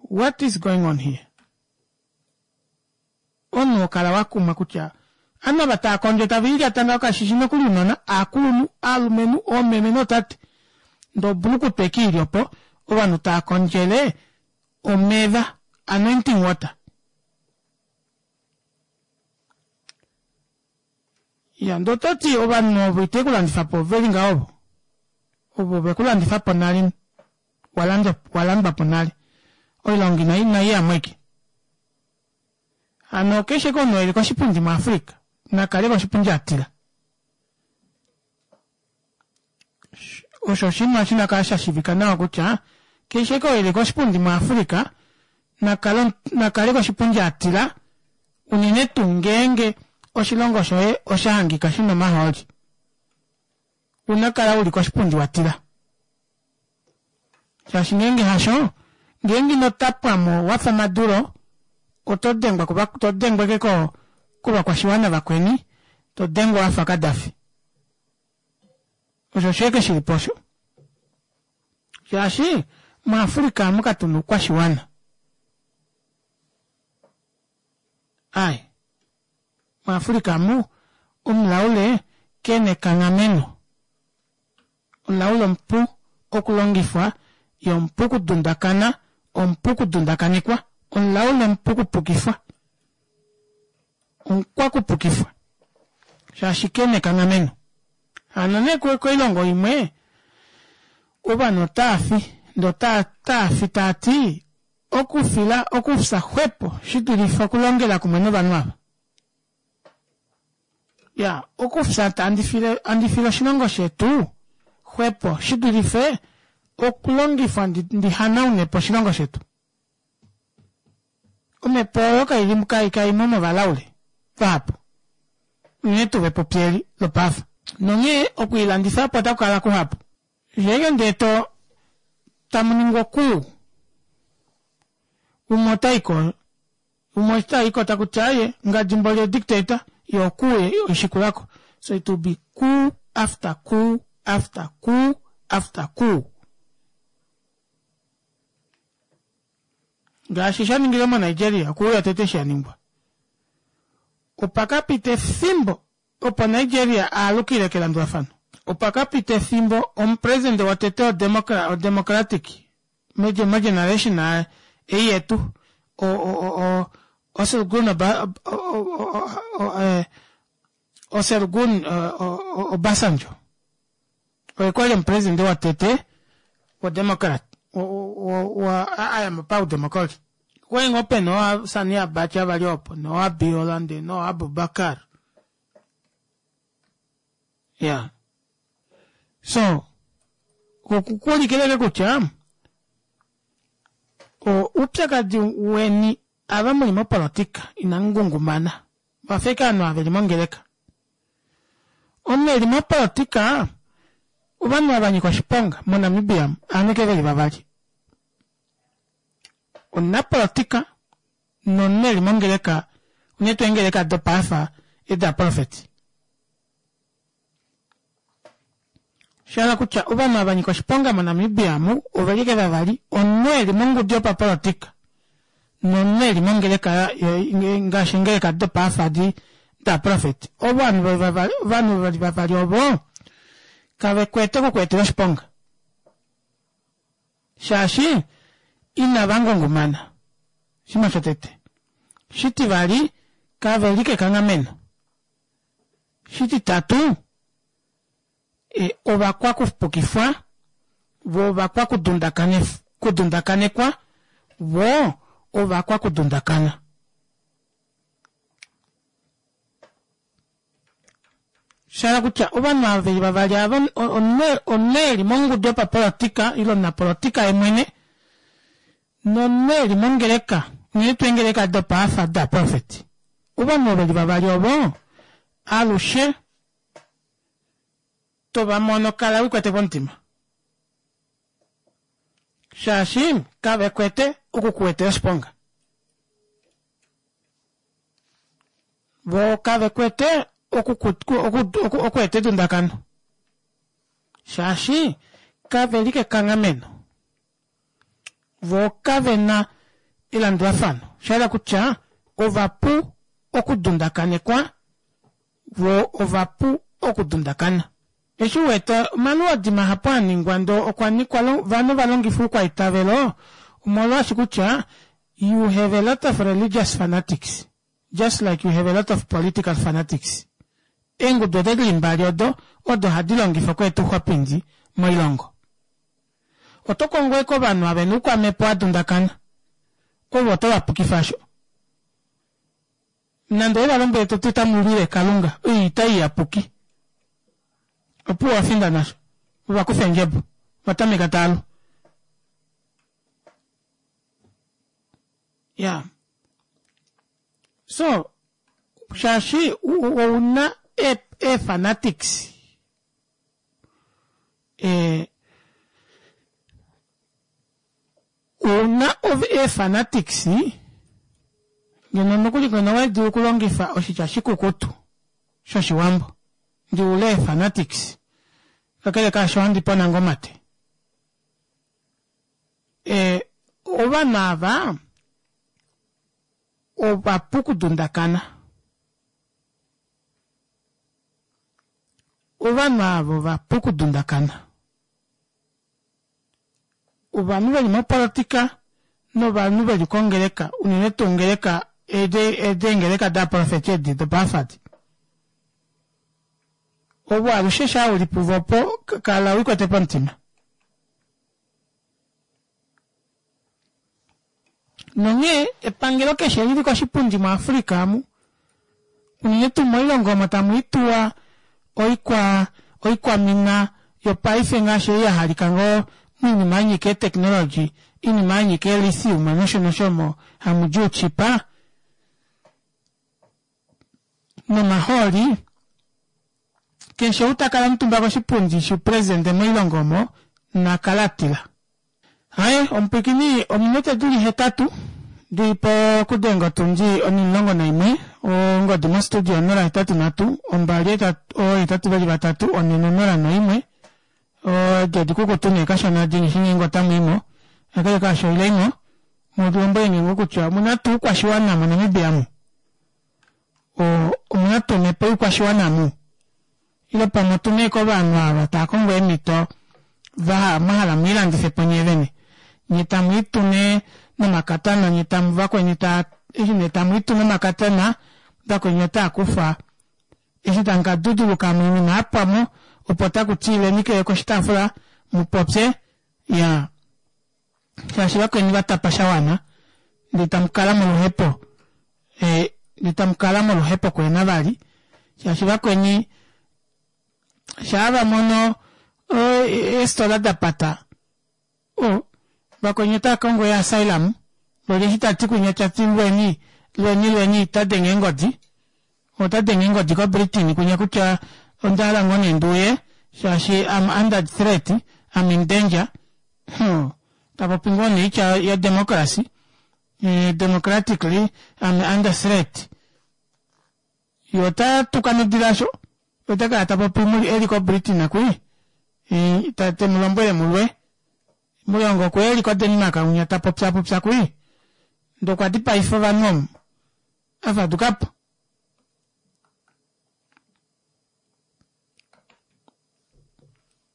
what is going on here? Omunhu okala wakumwa kutya ovanhu ava tava kondjo tava ilyata ngaho kashishi nokuli ounona, aakulunhu, aalumenhu, oomeme nootate. Ndee obulukutwa ashike ili opo ovanhu tava kondjele omeva, anointing water. Ya ndee ototi ovanhu ovo itave kulandifapo oveli ngaho ovo. Ovo vekulandifapo nale, walandwapo nale. Oilonga inaiyamo ashike. Hano keshe omunhu eli koshipundi muAfrica nakale koshipundi atila. Osho oshinima shinakala shashivika nawa kutya keshe oo eli koshipundi muAfrica nakale nakale koshipundi atila unene tuu ngeenge oshilongo shoye oshahangika shina omahooli. Unakala uli koshipundi watila. Shaashi ngeenge hasho, ngeenge ino tapwamo wafa Maduro oto dengwa to dengwa ashike kovakwashiwana vakweni, to dengwa wafa Kadafi. Osho osho ashike shilipo osho. Shaashi muAfrica amu katuna oukwashiwana. Ai. MuAfrica amu omulaule kena ekanghameno. Omulaule omupu okulongifwa yee omupu okudundakana, omupu okudundakanekwa, omulaule omupu okupukifwa. Omukwakupukifwa. Shaashi kena ekanghameno. Hano nee koilongo imwe ovanhu otaafi ndee otaafi taati okufila okufya xwepo shidulife okulongela kumwe novanhu ava. Ya okufya handi file handi file oshilongo shetu xwepo shidulife okulongifwa ndi hanaunepo oshilongo shetu. Omhepo oyo kaili kaimo movalaule vahapu. Unene tuu vepupi eli lopaife. Nonghee okwiilandifapo otaku kala kuhapu. Ngeenge ndee to tamu ningwa okuu, umwe otaiko umwe eshi taiko takuti aaye ngadi mboli odictator yoo okuu oishikulako. So it will be coup after coup after coup after coup. Ngaashi sha ningilwe moNigeria, okuu yotete eshi yaningwa. Opa kapita efimbo opo Nigeria aalukile kelandulafano. Opa kapita efimbo omupresident wotete odemocratic mogeneration ei yetu Olusegun Olusegun Obasanjo oye kwali omupresident wotete wodemocrat aya paudemocry. Okwali ngoo pena oo Sani Abacha vali opo noo Abiola ndee noo Abubakar. Yeah. So, okukuulikileke kutya oupyakadi weni ava muli mopolitika inamu ngungumana. Vafa ashike ovanhu ava veli mongeleka. Omunhu eli mopolitika ovanhu ava vanyika oshiponga moNamibia ovanhu ashike veli vavali. Omunapolitika nomunhu eli mongeleka unene tuu eengeleka dopaife edaprofeti. Shahala kutya ovanhu ava vanyika oshiponga moNamibia amu oveli ashike vavali, omunhu eli mongudu yopapolitika nomunhu eli mongeleka ngaashi eengeleka dopaife edi daprofeti. Ovanhu ovanhu veli vavali ovo kavekwete okukweetela oshiponga. Shaashi inava ngungumana. Oshinima shotete. Shitivali kaveli kekanghameno. Shititatu ovakwakupukifwa voo ovakwakudundakanekwa voo ovakwakudundakana. Shahala kutya ovanhu ava veli vavali ava omunhu eli mongudu yopapolitika ile omunapolitika yemwene nomunhu eli mongeleka unene tuu eengeleka dopaafa daprofeti. Ovanhu ovo veli vavali ovo alushe tovamono kala wikwete pomutima. Shaashi kavekwete okukuetela oshiponga. Voo kavekwete okweeta edundakano. Shaashi kave li kekanghameno, vo kave na elandulafano. Osha yela kutya ovapu okudundakanekwa, vo ovapu okudundakana. Eshi uwete omaluodi mahapu aningwa ndoo okwa nikwa ovanhu valongifa oukwaitavelo, omolwaashi kutya you have a lot of religious fanatics just like you have a lot of political fanatics. Eengudu odo dili mbali odo odo hadi longifa okweeta ouxwapindi moilongo. Oto kongo ashike ovanhu ava vena oukwamhepo wadundakana, ovo oto vapukifa asho. Nande owe valombwele toti otamu lwile Kalunga, oita iyapuki, opuwo wafinda nasho, ovakufa eendjebo, ovatameka taalu. Ya. So, shaashi ouna ee fanatics ee ouna ee fanatics ngeno nokuli ngeno owali dulu okulongifa oshitya shikukutu shoshiwambo ndiule ee fanatics kakele kaasho ohandi pona ngoo omate. Ee ovanhu ava ovapu okudundakana. Ovanhu ava ovapu okudundakana. Ovanhu veli mopolitika novanhu veli kongeleka, unene tuu ongeleka edi eengeleka daaprofeti edi dopaafadi. Ovo alushe shaa uli puvo opo kala ulikwete pomutima. Nonghee epangelo keshe lili koshipundi muAfrica amu, unene tuu moilongo omo tamu ituwa oikwa oikwamina yopaife ngaashi ei yahalika ngoo moinima yanyika eetechnology, oinima yanyika eelithium nosho nosho omo hamudi ouchipa nomahooli, keshe ou takala omutumba koshipundi shoupresidente moilongo omo nakale atila. Aaye omupwiikini ominute dili hetatu dili pokudenga otundi onimulongo naimwe, ongodi mostudio onola hetatu nhatu ombali oohetatu veli vatatu onhe nonola noimwe, edi odikukutu nee kashona dinishi ngeenge otamwiimo, kakele kaasho ileimo mulombwelenge ngoo kutya omuna tuu oukwashiwana moNamibia amu, omuna tuu omhepo youkwashiwana amu, ile pamwe otuna ashike ovanhu ava taakongo eemhito mwahala mwiilandifepo nyee vene, nyee tamwiitu nee nomakatana nyee tamu vakweni taa eshi nee tamwiitu nomakatana vakweni otaakufa eshi tamukaduduluka moinima yapwamo opo takuti ileni koshitaafula mupopye iyaa shaashi vakweni vatapa shawana ndee tamukala moluhepo ndee tamukala moluhepo kuhena vali shaashi vakweni shaa vamono eefitola dapata o vakweni otaakongo ee asylum loli eshi tati kwinya tati lweni lweni lweni otadenge eengodi otadenge eengodi ko Britain kwinya kutya ondahala ngoo nee nduuye shaashi I'm under threat, I'm in danger. Hmm, tapopi ngoo nee oitya ya democracy, democratically I'm under threat. Ye ota tuka nodila asho, ota kala tapopi eli ko Britain kwii, temulombwele mulwe. Mulongo okwe eli ko Denmark unya tapopya popya kwii. Ndee okwa dipaifa ovanhu omu, afadukapo.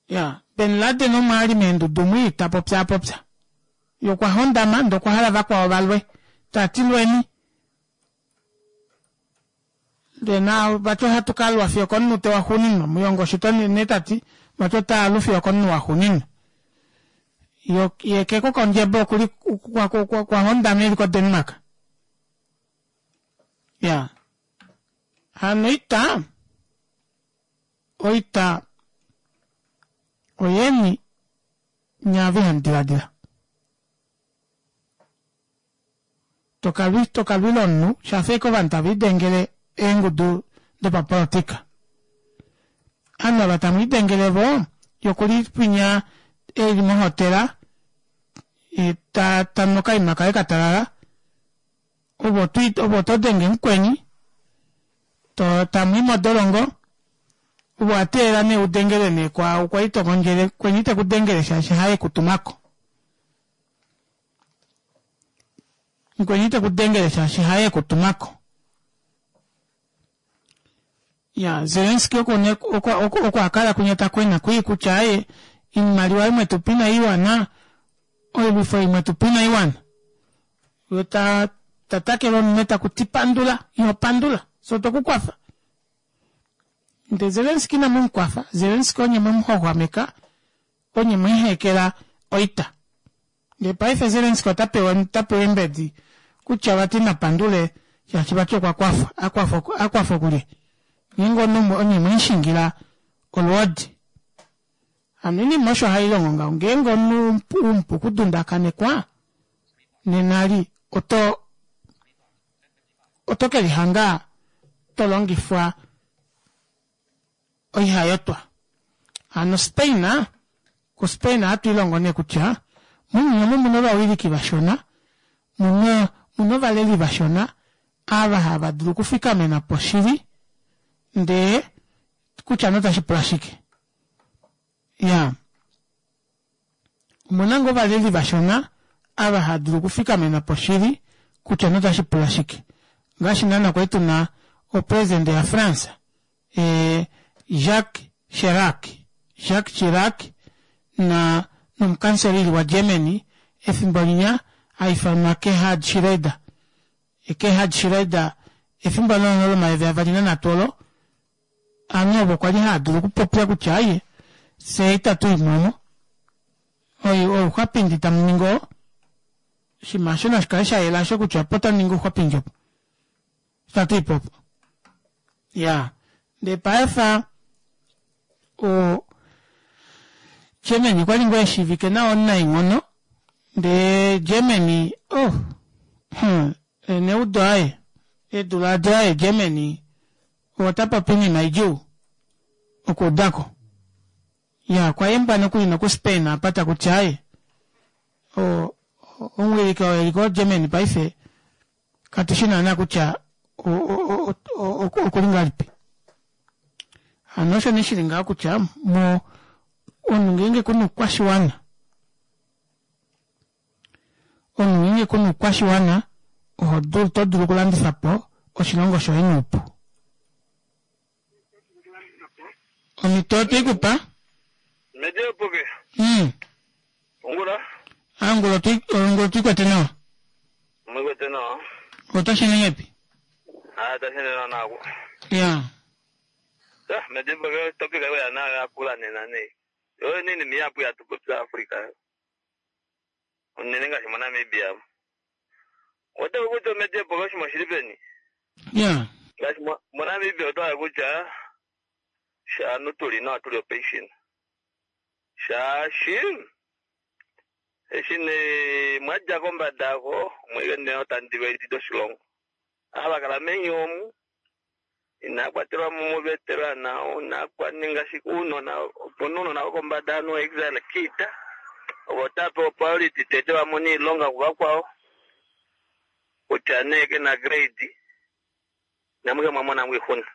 Ya, Ben Laden omo ali meendudu mwii tapopyaapopya. Ye okwa hondama ndee okwa hala vakwao valwe. Tati lweni. Ndee na vati ohatu kalwa fiyo okomunute waxuuninwa, Muyongo osho nee tati, vati otaalu fiyo okomunhu waxuuninwa. Ye keko kondjebo okuli kwa hondama eli ko Denmark. Ya. Hano oita, oita oyeni nyaave hamu diladila. Tokalwila omunhu shafa ashike ovanhu tave lidengele eengudu dopapolitika. Ovanhu ava tamu lidengele vo yokuli kwinya eli mohotela tanu okaima kaye katalala, ove oto denge mukweni tamwii modolongo, Owa teelela nee udengele nee kwaau kwali tokondjele kweni tekudengele shaashi haye kutumako. Mukweni tekudengele shaashi haye kutumako. Ya Zelensky oko ne oko oko akala kunya kwena kui kutya aye imaliwa imwe tupina iwana oilwifo imwe tupina iwana. Yo ta tatakelo neta kutipandula yo pandula so tokukwafa. Nde Zelensky na mumukwafa Zelensky onye mumuxwaxwameka onye mwiihekela oita. Ndee paife Zelensky ota pewa ota pewa embedi kutya vati napandule shaashi vati okwa kwafa akwafa akwafa okulye. Ngeenge omunhu onye mwiishingila olwoodi. Hano oinima osho hailongo ngaho ngeenge omunhu umupu okudundakanekwa nena li oto oto kelihanga tolongifwa oihayotwa. Hano Spain ku Spain ohatu ilongo nee kutya mounyuni omu muna ovawiliki vashona muna muna ovaleli vashona ava hava dulu okufikamena po shili ndee kutya notashi pula shike. Ya omuna ngoo ovaleli vashona ava hava dulu okufikamena po shili kutya notashi pula shike. Ngaashi naana kwali tuna opresident ya France ee Jacques Chirac Jacques Chirac na nomukanselili wa Germany efimbo linya haifanwa Gerhard Schroeder. Gerhard Schroeder efimbo lono lomayovi avali nanhatu olo ovanhu ovo kwali hava dulu okupopya kutya aye fye itatu imomo ouxwapindi tamuningi oo oshinima aasho nashikale shayela aasho kutya opo tamuningi ouxwapindi opo itatu ipo opo. Ya ndee paife o Germany okwali ngoo eshiivike nawa omunaenghono ndee Germany oh hmm, neudo aye eedula adi aye Germany ota popi oinima idjuu okuudako. Ya okwa yembwa nokuli noku Spain apa takuti aye o omuwiliki oo eli ko Germany paife katushi naana kutya okuli ngahelipi. Hano osho nee shili ngaho kutya mo omunhu ngeenge kuna oukwashiwana omunhu ngeenge kuna oukwashiwana oho oto dulu okulandifa po oshilongo shoye noupu. Omhito otweikupa. Medepoke. Mm. Ongula. Angula otwi ongula otwiikwete nawa. Mwikwete nawa. Otashi nengepi? Ah, tashi nena nako. Ya. Ya, medepoke topic ayo ya nayo yakula nena nei. Yo nini miyapu ya tupopya Africa. Unene ngaashi moNamibia. Oto kutya medepoke oshima shili peni? Ya. Ngaashi moNamibia oto hala kutya shaanhu tuli nawa tuli opation. Shaashi eshi nee mwadja kombada ako omwike nee otandi edi doshilongo. Ava kala meni omu inaa kwatelwa mo muveterana inaa kwaninga shike uunona opuna uunona wokombada anu exile kiita ovo tava pewa priority tete vamone iilonga kuvakwao kutya nee kena grade namuke mwamona mwixuna.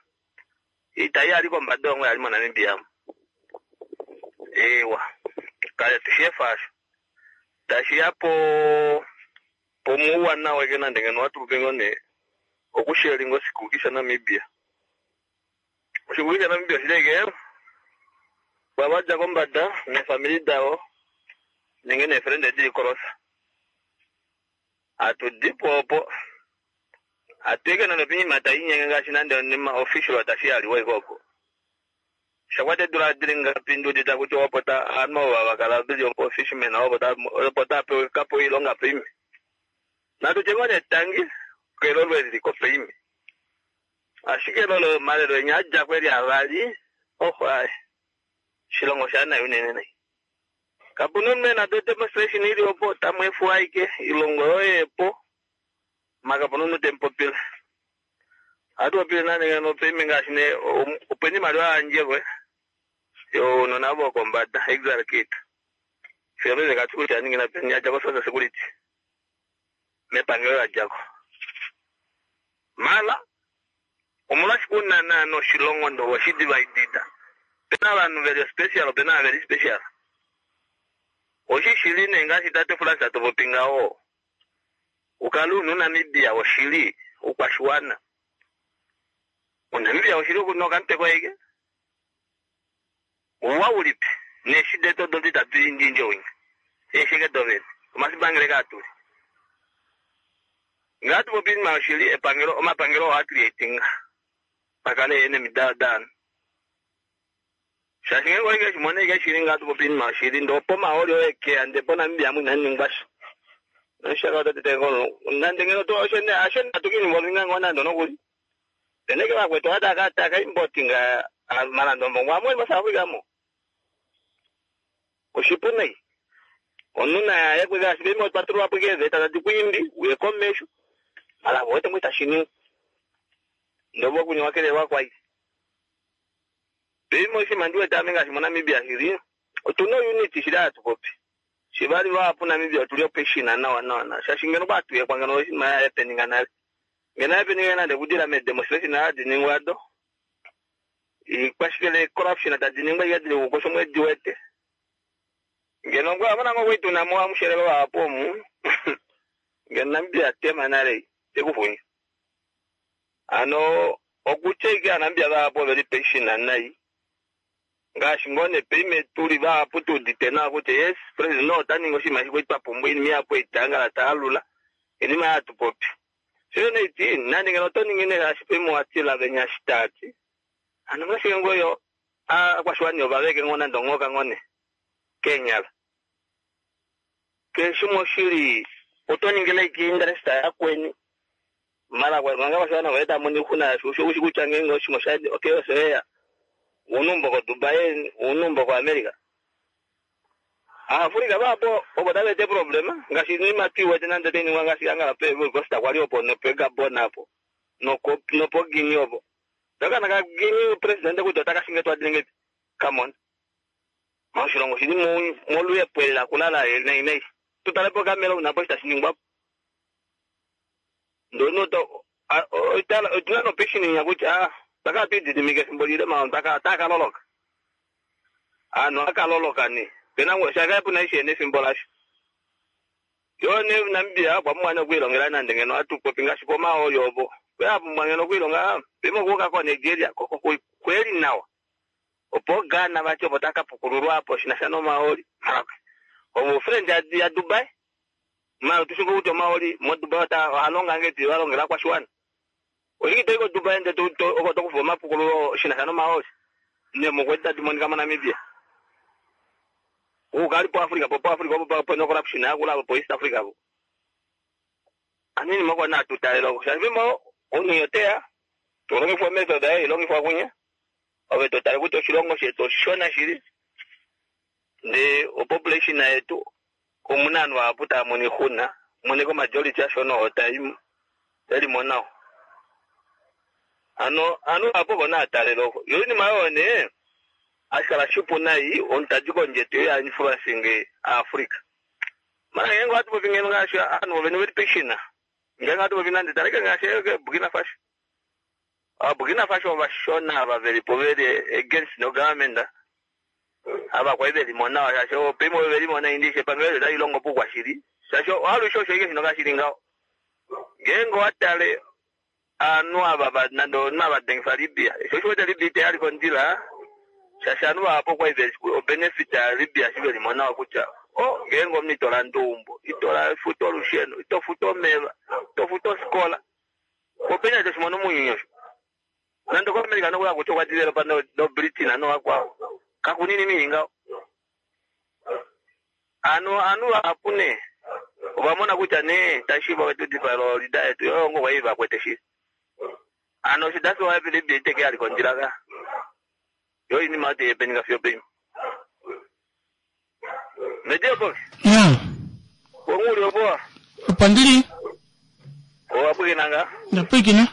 Iita yali kombada ongo yali moNamibia. Ewa kale tushefa asho tashiya po pomuuwanawa eke nande ngeno watupe ngoo nee okusharinga oshikuki shaNamibia. Oshikuki shaNamibia oshileke vavadja kombada neefamili davo nenge neefrende dili kolosa. Hatudipo opo hatuike nande oinima tainyenge ngaashi nande onima official tashi yaliwa ike opo. Shakwata eedula dili ngapi ndiudite kutya opo ta ovanhu ovo vakala veli opo fisherman opo opo tapewa kapewa oilonga peime. Natutye ngoo nee tangi kelolo eli liko peime. Ashike lolo omalelo enya adjako eli avali oho aye oshilongo shaanai unene nai. Kapuna omunhu ena demonstration ili opo tamweefuwa aike ilongo yoye epo maka kapuna omunhu temupopile. Ohatu popile nande ngeno peime ngaashi nee opena iimaliwa yayandjelwe younona vokombada exile kiita. Fiyo paife katushi kutya yaningina peni yadja ko social security mepangelo ladjako. Mala omolwashike una naana oshilongo ndee oweshi dividida Opena ovanhu veli special, opena ava veli special. Oshishili nee ngaashi tate Frans topopi ngaho. Ukale una Namibia oshili ukwashiwana. Unamibia oshili okunoka mutwe koye. Uwa ulipi? Neshi deto dodi tatu indinje winya. Eshike dovene. Omasibangele kaatuli. Ngatu popi ma oshili epangelo omapangelo oha creating. Pakale ene midadana. Shaashi ngenge oike shimone ike shili ngatu popi ma oshili ndo po maoli oye ande po Namibia mu inaningwa sha. Nshaka otatete kono. Nande ngeno to oshene ashene atukini mbolunga ngona ndo nokuli. Teneke vakwetu ataka taka importinga malando mbongo amwe mo South Africa mo. Oshipu nai. Omunhu naye kweka shibemi otwatulwa po keeveta tadi kuimbi uye komesho. Mala vote mwita shininga. Ndobo kunyowa kelelwa kwai. Pimo shima ndiwete ame ngaashi moNamibia shili. Otuna unity shili hatupopi. Shivali vahapu Namibia otuli opeshina nawa nawa nawa. Shaashi ngeno kwatuyekwa ngeno oshinima ya happeninga nale. Ngeno happeninga nande kudila medemonstration hadi ningwa do. Ikwashikele corruption tadi ningwa ikadile kukosha omwedi wete. Ngeno ngwa abona ngo kwituna mo amushelelo vahapu omu. Ngeno Namibia tema nale tekufunya. Ano okutya Namibia vahapu oveli peshina nai. Ngaashi ngoo nepeime tuli vahapu tuudite nawa kutya yes president ota ningi oshinima shikwe twa pumbwa oinima ihapu eitangala taalula oinima yatupopi. Sho neiti nande ngeno oto ningi nee ngaashi peime watila venya shitaati. Ano ngaashi ngoyo aakwashiwana ovaveke ngoo nande onghoka ngoo ne keenyala. Keshe shimwe oshili oto ningile ike interest yakweni. Mara manga kwashiwana voye tamono oixuna sho ushi kutya ngeenge oshinima osha okay osho yeya. Unumbo ko Dubai, unumbo ko America. Afrika vapo opo tavete problema ngaashi inima twiwete nande tainingwa ngaashi angala pe Ivory Coast kwali opo nope Gabon apo noko nopo Guinea opo. Ndakana ka Guinea president kutya otakashinge twadilengeti. Come on. Moshilongo shili moluyepo kulala nei nei. Tutale po Cameroon apo shitashiningwa. Ndono to otuna nopeshini kutya ah taka twididimike efimbo lile ma taka takaloloka. Ano akaloloka ni. Pena ngo shaka puna ishene efimbo lasho. Yo ne Namibia kwa mwana okuilongela nande ngeno atupopi ngaashi pomaoli opo. Kweapumbwa ngeno okuilonga pimo kuuka ko Nigeria koko kweli nawa. Opo Ghana vati opo takapukululwa apo shinasha nomaoli. Omo friend ya, ya Dubai. Ma tushingo kuti omaoli mo Dubai ota ohalonga ngeti valongela kwashiwana. Oshiki toiko Dubai nde to to oko tokufa omapukululo shinasha nomaoli. Ne mokweti tadi monika moNamibia. Ukali po Africa po po Africa po po no corruption yakula po East Africa po. Anini moko na tutalelo. Shaashi mo onu yoteya. Tulongifwa method ayi ilongifwa kunya. Ove totale kuti oshilongo shetu oshishona shili. Nde opopulation yetu omuna ovanhu vahapu tava mono oixuna. Moneko majority ashona otai elimo nawa. Ano anu apo kona atalelo. Yo inima oyo nee ashikala shipu nai omuntu tadi kondje yetu ya influencing Africa. Mara ngenge watu popi ngeno ngaashi ovanhu vene veli peshina. Ngenge watu popi nande taleke ngaashi Burkina Faso. Ah Burkina Faso ovashona ava velipo veli against no government. Ava kwai velimo nawa shaashi opimo velimo naindi epangelo tali longo poukwashili. Shaashi alushe osho ike shino kashili ngaho. Ngeenge owatale ovanhu ava nande omunhu avadengifa Libya. Sho osho wete Libya itayali kondjila. Shaashi ovanhu vahapu okwali veli obenefit ya Libya shi velimo nawa kutya o ngeenge omunhu ito landa eumbo, ito futa olusheno, ito futa omeva, ito futa ofikola. Opena toshimono mounyuni osho. Nande koAmerica nokula kutya okwa developa no, no Britain novakwao. Kakunini mii ngaho. Ano anu vahapu nee ovamona kutya nee tashiiva wetu dipaelo lida yetu yo ngo kwai vakwete shili. Ano osho that's why Libya iteke yali kondjila ka. Yo inima oti yepeninga fiyo peima. Medio box. Ya. Wonguli opo. Opo ndili. Owapwikinanga. Ndapwikina.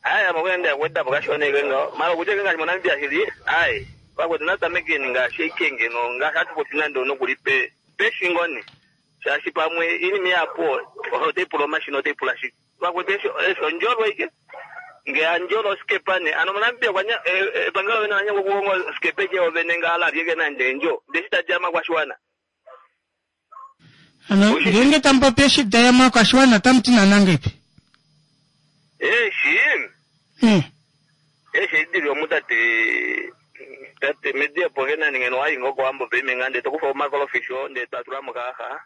Aya makwenda kwenda pakashona ike ngaho. Mara kutya ngaashi moNamibia shili. Ai. Vakwetu natamekeni ngaashi ikenge no ngaashi atupopi nande onokuli pe peshingoni. Shaashi pamwe inima yapo otaipula omashina otaipula shike. Vakwetu esho esho ndjolwa ike. Nge andjola osikepa ne ano moNamibia kwanya epangelo vene lanya okukonga osikepa eke ovene nga lalyeke nande endjo ndee shitadi amakwashiwana. Ano ngeenge tamupopi eshi daya makwashiwana otamuti nanangepi? Eeshi Eh. eeshi edili omu tate tate mediepo ke nani ngeno wayi ngoo kowambo peime nga ndee tokufa omakolofish oo ndee twatula mokayaxa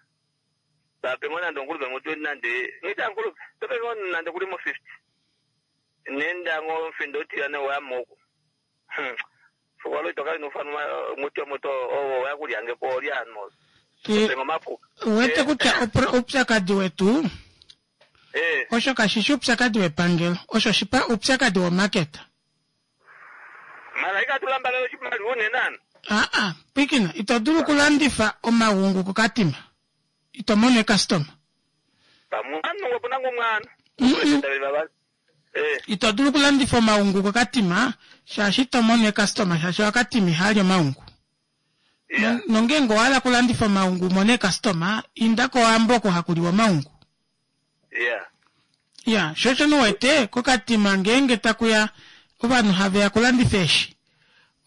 tape ngoo nande ongulupe ngo twenty nande ngita ngulupe tope ngoo nande kuli mo fifty nenda ngoo mfindo otiyane wayamo oku fokwalo itoka inofana muti omuto owo wakulyange po olyano Eh, tope ngomapuka uwete kutya opro- oupyakadi wetu eh osho kashishi oupyakadi wepangelo osho shipa oupyakadi womaketa. mara ikatulambala oshimaliwa unene ano Aa, pwikina ito dulu okulandifa omagungu kokatima ito mono ekastoma. pamwana ngo puna ngomwana Mm-mm. baba eh Ito dulu okulandifa omaungu kokatima shaashi ito mono ekastoma shaashi wakatima ihali omaungu. yeah Nongeenge owahala okulandifa omaungu umone ekastoma inda kowambo oko hakuliwa omaungu. yeah Ya, sho osho nuwete kokatima ngeenge takuya ovanhu haveya kulandifa eeshi.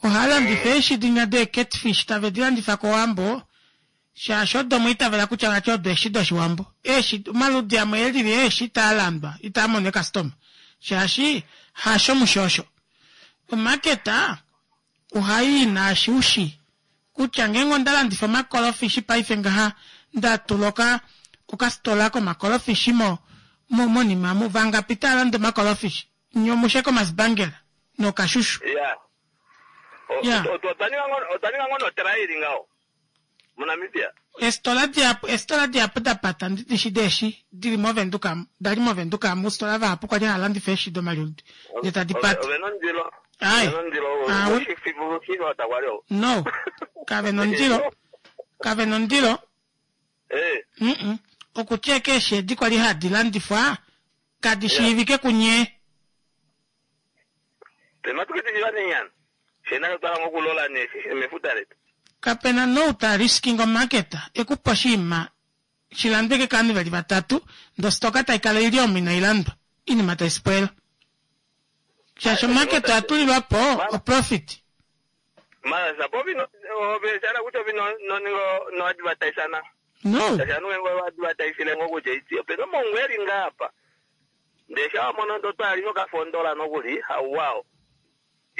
Ohava landifa eeshi dinya dee catfish tave di landifa kowambo shaashi odo mwiitavela kutya vati odo eeshi doshiwambo. Eeshi omaludi amwe elili eeshi itaa landwa itaa mono ekastoma shaashi hasho mushoosho. Omaketa ohai naashi ushi kutya ngeenge onda landifa omakolofishi paife ngaha nda tula oka okasitola komakolofishi mo mo monima mu vangapi tava landa omakolofishi nyomushe komasibangela nokashushu. yeah Yeah. otwa ninga ngoo notraili ngaho moNamibia Eesitola dihapu eesitola dihapu da pata ndidishi deeshi dili movenduka dali movenduka muusitola vahapu kwali hava landifa eeshi domaludi ndee tadi pata. ove nondilo Ai. ove nondilo Awe. oshifiva kwali o No, kave nondilo kave nondilo eh mm okutya eeshi edi kwali hadi landifwa kadi shiivike kunye. pematukitijiva nenyana shena twala ngokulola neshi mefuta letu Kapena nou ta risking omaketa ekupa oshinima shilandweke kaanhu veli vatatu ndee ositoka taikala ili omo inailandwa inima taispoila shaashi omaketa oyatulilwapo oprofit. mara sapo vino oveshana kutya ovino noningo noadvertisana No, shanu wengo advertisile ngokutya iti opena omongu eli ngaapa ndee shawamono ndo twali nokafondola nokuli hauwao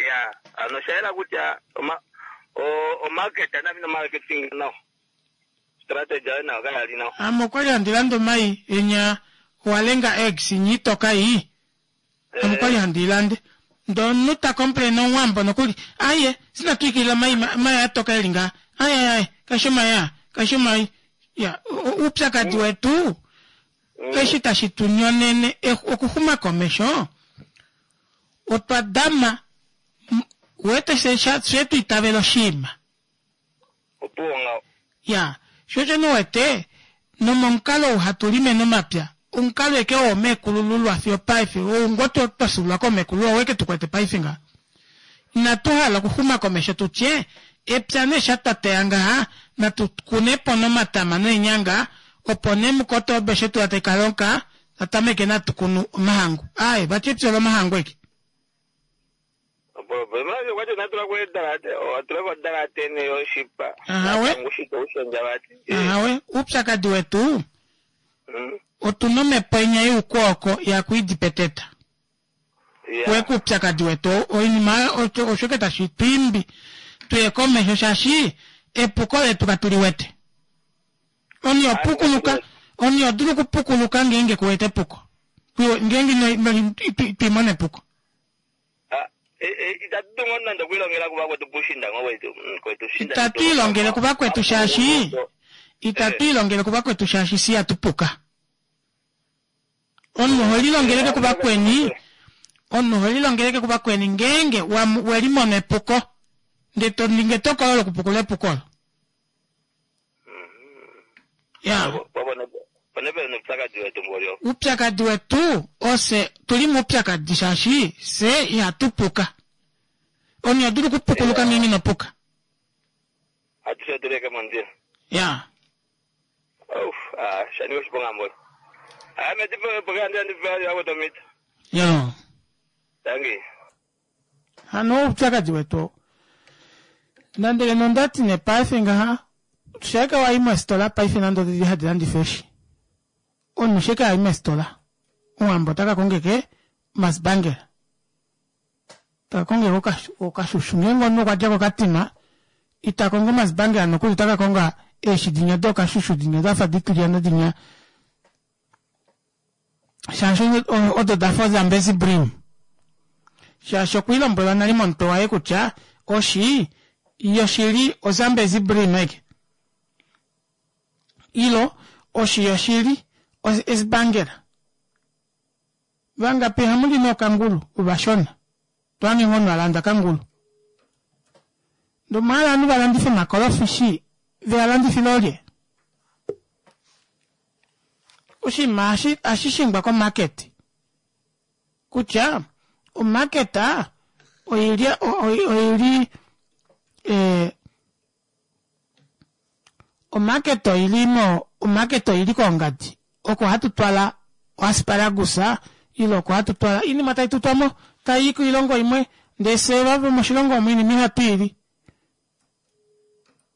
ya ano shayela kutya oma o- omarket anavino marketing nao strategy ayo nayo kayali nao ame okwali handi landa omai enya owalenga eggs inyi itoka iyi ame okwali handi ilande ndee omunhu ta complain omuwambo nokuli aye sinatwikilila omai omai atoka eli ngaha aye aye aye kaishi omai aa kaishi omai ya o- o- oupyakadi wetu eshi tashi tu nyonene eh, okuxuma komesho otwa dama m- wete she she twiitavela oshinima opuwo ngao ya sho osho nuwete nomomukalo ou hatu lime nomapya omukalo eke woomekulululwa fiyo paife ou ngoo twa twa fyuululwa koomekulululwa oweke tukwete paife ngaha inatu hala okuxuma komesho tutye epya nee sha twa teya ngaha natu kunepo nomatama neenyanga opo nee mukotobe shetu taika tatameke natu kunu omahangu aye vati epya lomahangu eke manje kwacho natula kwedalate watula kodalate neyoshipa Ahawe. ngushika ushonja vati ahawe oupyakadi wetu Mm. otuna omhepo inya youkwooko yakuidipeteta Yeah. weka oupyakadi wetu oinima osho osho ke tashi twiimbi tuye komesho shaashi epuko letu katuliwete oni opukuluka oni odulu okupukuluka ngeenge kuwete epuko Kuwe- ngeenge ino- ino- ito- ito imona epuko Ah, eh, eh, itatu tungo nande okuilongela kuvakwetu pushinda ngo kwetu mm, kwetu shinda itatu ilongele kuvakwetu shaashi itatu ilongele kuvakwetu shaashi si yatupuka omunhu oho lilongeleke kuvakweni omunhu oho lilongeleke kuvakweni ngeenge wamu- welimona epuko ndee toningi etokolo lokupukula epuko olo ya ponepele noupyakadi wetu ngolyo uupyakadi wetu ose tuli muupyakadi shaashi se ihatupuka omunhu odulu okupukuluka ngeenge inopuka atushe tuleke mondila ya Ouf, ah, shanika oshiponga mbolo ame tipokandiandipeakutomita yo Tangi. Hano oupyakadi wetu nande ngeno ondati nee paife ngaha sheke wayi mositola paife nande odili hadi landifa eeshi omunhu sheke ayi mositola omuwambo otaka kongeke masbangela taka kongeke okashushu ngeenge omunhu okwadja kokatima ita kongo masbangela nokuli otaka konga eeshi dinya dokashushu dinya dafa ditilyana dinya shaashi odo dafa ozambezi brim shaashi okwiilombwelwa nale momutwe waye kutya oshi yoshili ozambezi brim eke ilo oshi yoshili esbangela vangapi hamuli nokangulu uvashona twange ngono alanda kangulu ndomala ovanhu valandifa omakolofishi vealandifile olye oshinima ashishingwa komarket kutya omarket oili oili eh, omarket oili mo omarket oili kongadi oko hatu twala oasparagus ile oko hatu twala inima tai tutwamo tai koilongo imwe ndee fye vavo moshilongo omu inima ihatu ili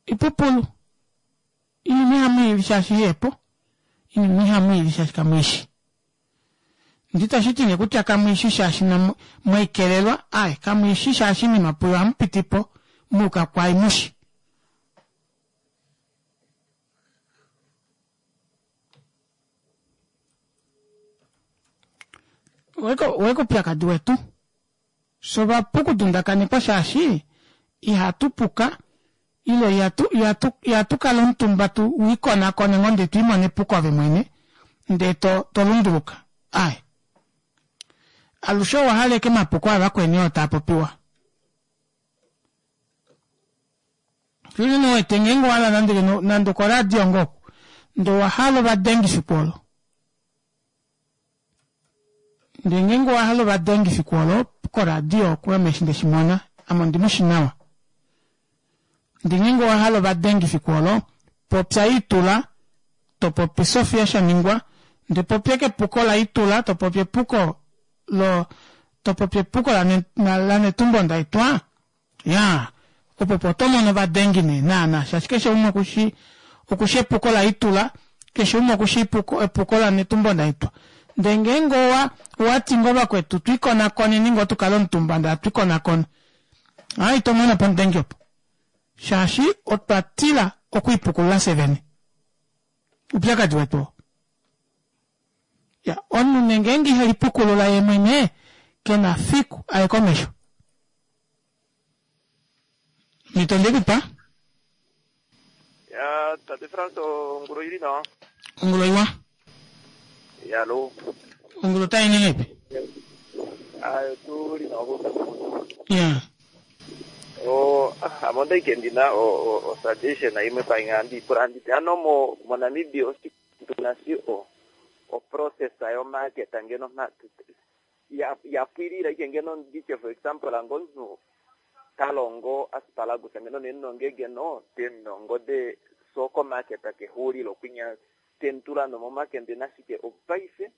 ipupulu inima ihamu ili shaashi ihepo inima ihamu ili shaashi kamwiishi nditashiti nee kutya kamwiishi shaashi mwaikelelwa ai kamwiishi shaashi inima puyo hamupitipo muuka kwai mushi weko upyakadi wetu sovapu kudundakanekwa shaashi ihatupuka ile ihatu ihatu ihatu kala omutumba tu wikonakone ngoo ndee twiimone epuko ove mwene ndee to tolunduluka ai alushe owahala eke mapuko avakweni oo taapopiwa shili wete ngeenge owahala nande nande okoradio ngoo ndee owahala ovadengi fiku olo ndee ngeenge owahala ovadengi fiku olo koradio ame eshi ndeshimona ame ondimushi nawa ndee ngeenge owahala ovadengi fiku olo popya Itula topopi Sofia Shaningwa ndee popya eke epuko la Itula topopi epuko lo topopi epuko laNetumbo Ndaitwah ya opo po otomono ovadengi nee naana shaashi keshe umwe okushi okushi epuko la Itula keshe umwe okushi epuko laNetumbo Ndaitwah ndee ngeenge owa owati ngoo vakwetu twiikonakoneni ngoo tukale omutumba ndee hatwiikonakona ai tomono po omudengi opo shaashi otwa tila okwiipukulula fye vene upyakadi wetu oo ya omunhu nee ngeenge ihelipukulula yee mwene kena fiku aye komesho mito ndekupa Ya tate Frans ongulu ili nawa. Ongulu iwa. Ya lo. Ongulu tai nengepi? Ayo tu li nawa ko. Ya. O ame ondaike ndina o o suggestion imwe painga ndipula nditi ano mo mo Namibia tuna si o o process yo market ngeno ya ya pwilila ike ngeno nditye for example angonhu talongo asparagus ngeno nenonge ngeno tenongo de soko market kehulilo kwinya tentula no momakende nashike opaife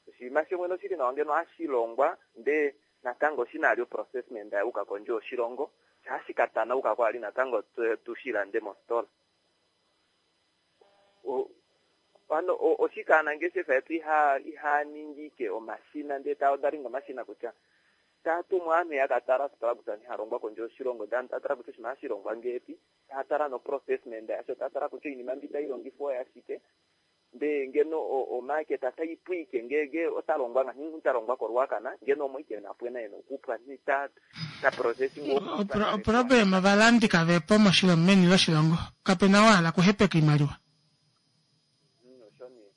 oshinima shimwe noshili nawa ngeno hashilongwa nde natango shinali processment yauka kondje yoshilongo shashikatanauka kwali natango tushilande mositola ano oshikaanangeshefa yetu iha ihaningike omashina ndee taodalinga omashina kutya tatumwa aanhu yakatala asparagus nihalongwa kondje yoshilongo ndee tatala kutya oshinima hashilongwa ngeepi tatala no processment yasho tatala kutya oinima mbi tailongifwa oyashike ndee ngeno omarket taipwike ngenge otalongwa ngahi talongwa koRuacana ngeno omo ike napwena ena okupwa ni ta ta processing oproblem ovalandi kavepo moshilongo meni loshilongo kapena wahala kuhepeka oimaliwa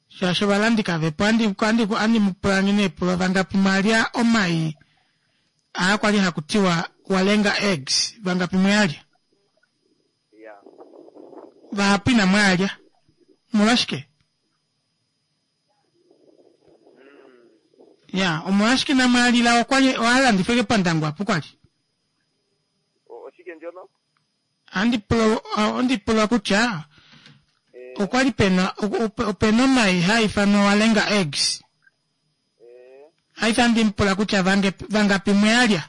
shaashi ovalandi kavepo andi andi andi mupula ngene epulo vangapi mwalya omai aa kwali hakutiwa walenga eggs vangapi mwalya vahapu ina mwalya omolwashike ya omolwashike namwalila okwali owalandifweke pOndangwa apo kwali oshike ndjono andi pula ondi pula kutya okwali pena opena omai haifanwa walenga eggs Aifa ndimpula kutya vange vangapi mweyalya.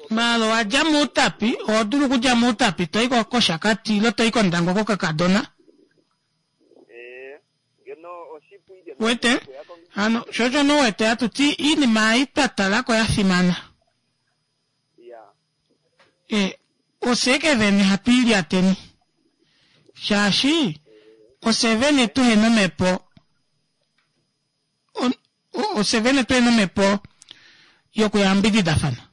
Malo wadja muutapi oho dulu okudja muutapi toyi koshakati ile toyi kondangwa kokakadona. Wete hano shosho nowete hatuti iinima ei twa talako ya fimana. E, ofye ke vene hatu ilyateni shaashi ofye vene tuhena omhepo ofye vene tuhena omhepo yokuyambididafana.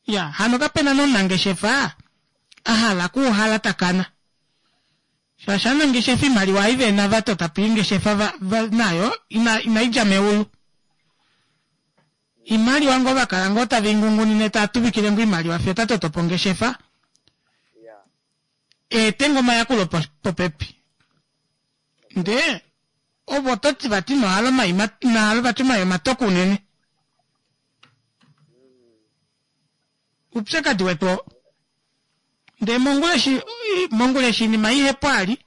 Ya hano kapena nomunangeshefa ahala okuuhala takana shaashi ovanangeshefa oimaliwa ei vena vatotapo eengeshefa va, va, nayo ina, inaidja meulu. Imaliwa ngoo vakala ngoo tave ingungunine tava tuvikile ngoo oimaliwa fiyo otatotopo ongeshefa eete ngoo omayakulo popepi. Ndee ovo ototi vati inohala omai inahala vati omai omatoka unene. Oupyakadi wetu oo. Ndee mongula eshi mongula eshi oinima ihepo ali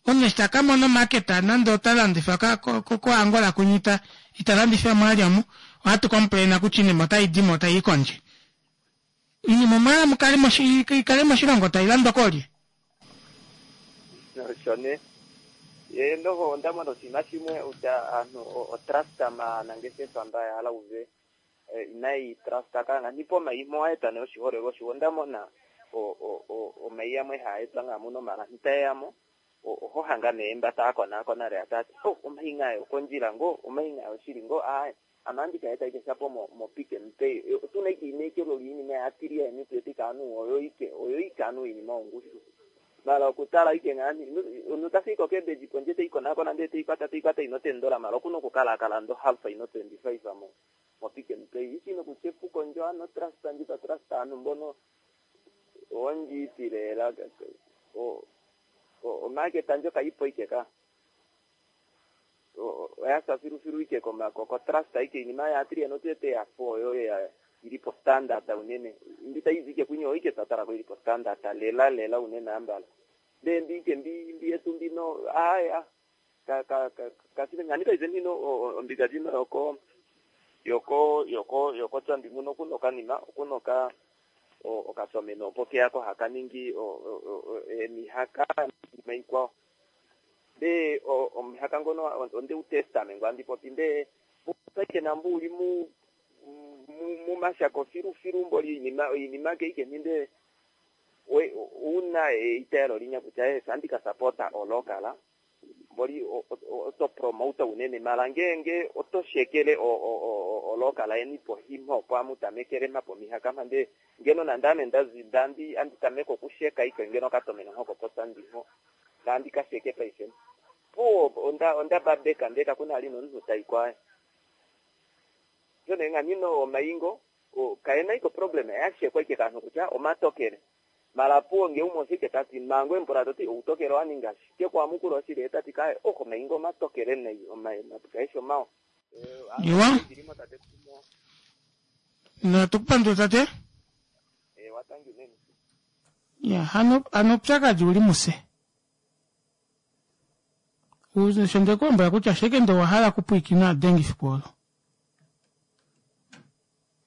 omunhu eshi takamona omarket nande ota landifa ko Angola kwinya ita ita landifa mwali omu ohatu complain kutya oinima otaidimo taii kondje. Oinima omwahala mukale ikale moshilongo tailandwa koolye? Osho nee. Ye noho onda mona oshinima shimwe kutya aantu otrust maanangeshefa mba ya hala uve inayi trust kanga nipo omai mowaeta nee oshiholelwa oshiwa. Onda mona omai amwe haa etwa ngaa muno mala ntaeyamo oho hanga nee mba taa konaakona lela taati oh omai ngaayo okondjila ngoo omai ngaayo oshili ngoo aaye ame ohandi ka eta ike shapo mo mo Pick n Pay otuna ike einekelo liinima yaatilia yeni tuwete ike ovanhu oyo ike oyo ike ovanhu oinima yongushu mala okutala ike ngaani omunhu tafiki ko cabbage pondje teikonakona ndee teikwata teikwata ino tendola mala okuna okukala akala ando half ino twenty five mo mo Pick n Pay ishi nokutya epuko ndjo ano trust ndji twa trust aanhu mbono ondjiiti lela o omarket ndjo kaipo ike ka oyasa filufilu ike ko trust ike iinima yaatilia notuwete yafa oyo ili po standard unene mbi taizi ike kwinya oyo ike twatalako ili po standard lela lela unene ambala ndee mbi ike mbi mbi yetu mbino aya ka ka kasile ngani paife ndino ombinga ndjino yoko yoko yoko yoko tsandi muno okuno okanima okuno oka okatomeno opo keyako haka ningi emihaka iinima ikwao ndee omuhaka ngono onde u testa ame ngo andi popi ndee ike nambo uli mu mumashako filufilu mboli oinima oinima keike ninde una eitaelo linya kutya eh andi ka sapota olokala mboli oto promote unene mala ngeenge oto shekele olokala yeni pohima opo amutamekele mha pomihaka mha ndee ngeno nande ame ndazi ndandi andi tameka okusheka ike ngeno okatomeno nhoko potsandi nho ndandi kasheke paife puwo onda onda babeka ndee kakuna ali nomunhu taikwa nee nganino omaingo kaena iko problem yashekwa ike kanhu kutya omatokele mala puwo nge umwe oshike tati mango embula toti outokele owaninga shike kwamukula oshili etati kaye oh omaingo omatokele nai kaeshi omawa. Iwa. Natukupandula tate. Ya hano hano oupyakadi uli muse. Sho ndekulombwela kutya sheke nde owahala okupwiikina adengi efiku olo.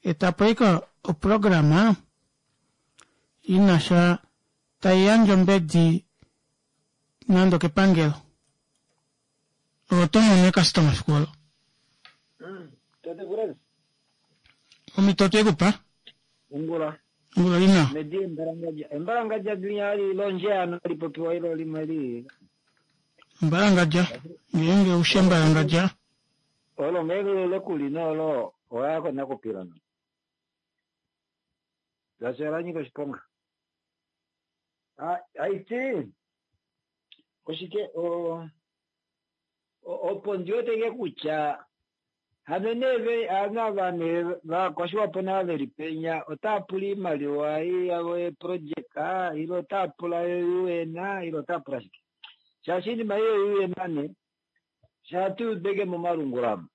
Etapo ike oprograma inasha taiyandje ombedi nande okepangelo. Ove oto mono eecustoma efiku olo. Tate Frans. Omhito otwekupa. Ongula. Ongula lina. Medi embalangadja. Embalangadja linya li lonje ano lipopiwa ilo limwe li. Embalangadja. Ngeenge ushe embalangadja. Olo ngeenge lekulina olo oya kona kupilana. Ngaashi ola nyika oshiponga. Haiti oshike o opo ndiweteke kutya hano nee ovanhu ava nee vakwashiwapo nava veli penya otava pula oimaliwa yavo yeprojeka ile otava pula yo U N ile otava pula shike shaashi oinima ei yo U N nee shaa tuudeke momalungula amu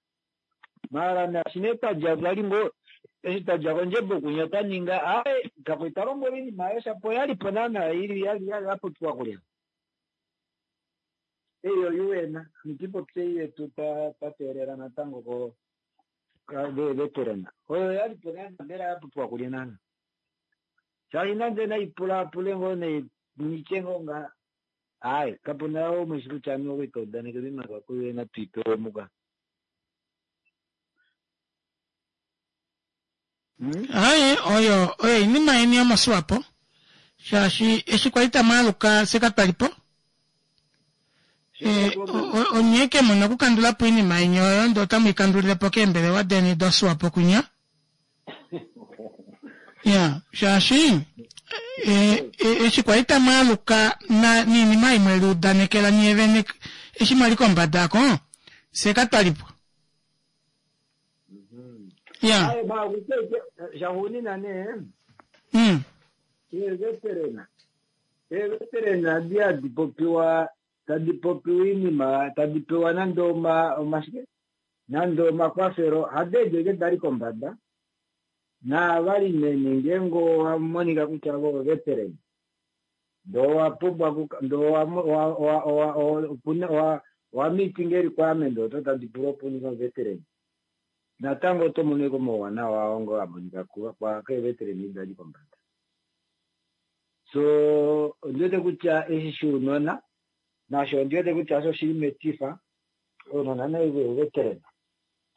maala naashi nee twadja twali ngoo Eshi tadja kondjebo kunya taninga ae kakwe talombwela iinima ayo shapo oyalipo naana ili yali yali yapopiwa kulya. Eyi oyu wena nitipopye yetu twa teelela natango ko veterana oyo yalipo naana mbela yapopiwa kulya naana. Shaashi nande naipulapule ngoo nitye ngoo nga ayi kapuna umwe shi kutya ame okwali taudaneke oimaliwa kuye tuipewe muka. Aye oyo oyo iinima yeni yomoswapo shaashi eshi kwali tamwaaluka fye katwalipo onye ke muna okukandulapo oinima yeni oyo ndee otamu ikandulilepo keembelewa deni doswapo kwinya. Ya shaashi eshi kwali tamwaaluka niinima ei mweliudanekela nyee vene eshi mwali kombada ako fye katwalipo. Ya. Shaxuunina nee mm. Eeveterena eeveterena adi hadi popiwa tadi popiwa iinima tadi pewa nande oma omashike nande omakwafelo hadi edi eke dali kombada naavali nene ngeenge owamonika kutya vo oveterena ndee owapumbwa ndee owa meeting requirement odo tadi pula opo uninge oveterena natango oto mono eke omauwanawa oo ngoo amonika keeveterena edi dali kombada. So ondiwete kutya eshi shounona nasho ondiwete kutya osho shili metifa ounona nave veterena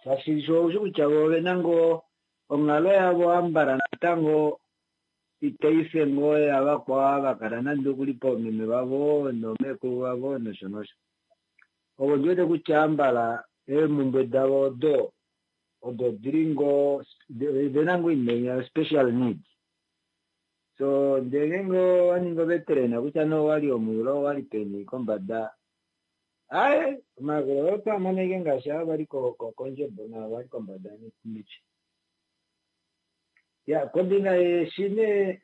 shaashi sho oushi kutya vo ovena ngoo onghalo yavo ambala natango itaife ngoo yavakwao ava vakala nande okuli poomeme vavo noomekulu vavo nosho nosho. Ovo ondiwete kutya ambala eemhumbwe davo odo odo dili ngoo ovena ngoo oinima special need. So ndee ngeenge owaningi oveterena kutya nee owali omuyula owali peni kombada aye omayakulo oyo otwamona ashike ngaashi ava vali kondjebo naava vali kombada miti. Ya kombinga yeeshi nee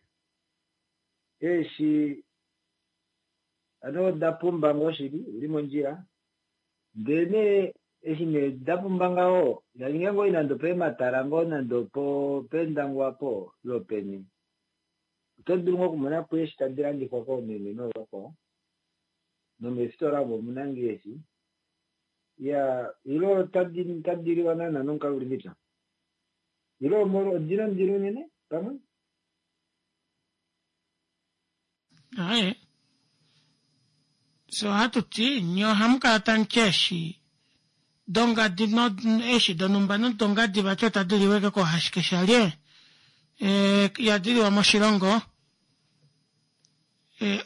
eeshi ano oda pumba ngoo shili uli mondjila ndee nee eshi nee dapumba ngaho yaninga ngoo nande opeematala ngoo nande opo peendangwa po lopeni oto dulu ngoo okumona po eeshi tadi landifwa koomeme noovakwao nomeefitola omo omuna ngoo eeshi ya ile otadi tadi liwa naana nomukalo uli mepya ile odina ondilo unene pamwe. Aye so ohatu ti nye ohamu kala tamuti eeshi dongadi no eeshi donhumba nodongadi vati otadi liwa ashike koohashikeshalye ihadi liwa moshilongo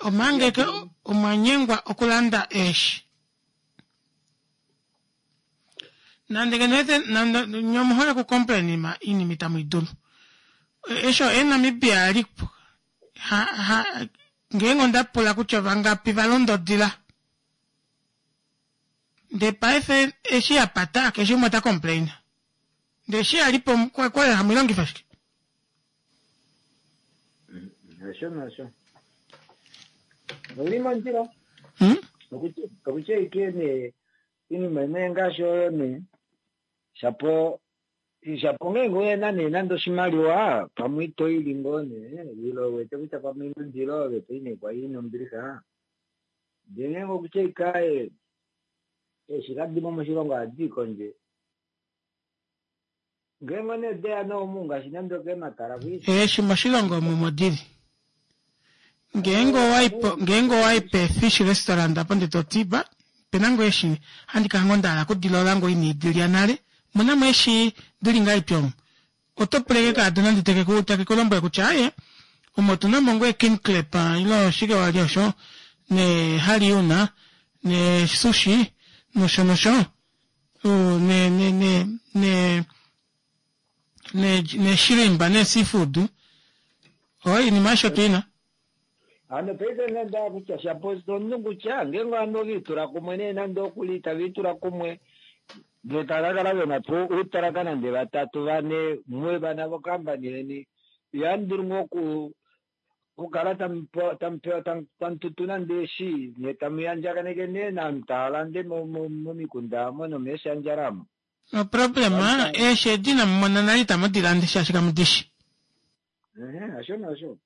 omanga ashike omwanyengwa okulanda eeshi. Nande ngeno nande nye omuhole oku complain oinima itamu idulu. Eshi Namibia ali ha ha ngeenge onda pula kutya vangapi valonda odila ndee paife eshi yapata keshe umwe ota complain ndee eshi yalipo okwali hamuilongifa shike. Hasho nasho ouli mondjila okutya ike nee iinima nee ngaashi oyo nee shapo shapo ngeenge una nee nande oshimaliwa pamwe itoili ngoo nee ile uwete kutya pamwe ina ondilo ove toi nee kwali ina ombilixa ndee ngeenge okutya ike aaye eeshi kadimo moshilongo ohadi i kondje ngeenge nee odeya nee omu ngaashi nande okeematala kwi Eeshi moshilongo omu omo dili. Ngeenge owai ngeenge owai pe fish restaurant apo ndee toti ba opena ngoo eeshi handi kala ngoo ndahala okudilola ngoo ina idilya nale omunamo eeshi dili ngahelipi omu oto pula ashike kaadona ndee tekeku takeku lombwele kutya aaye omu otunamo ngoo king crab ile oshike wali osho ne haliuna ne sushi nosho nosho ne ne ne ne ne shrimp ne seafood oinima aishe otuina. Hano paife nenda kutya shapo omunhu kutya ngeenge ovanhu oviitula kumwe nee nande okuli taviitula kumwe ndee tava kakala vena po uutalaka nande vatatu vane mwe vana vokambani yeni ihamudulu ngoo oku okukala tamupewa tamututu nande eeshi nye tamu yandjakaneke nee novanhu tava lande momikunda omo nomeeshandjala omo. No problem, eeshi edi inamu mona nale itamu di lande shaashi kamu di shi. Ehe, asho nasho.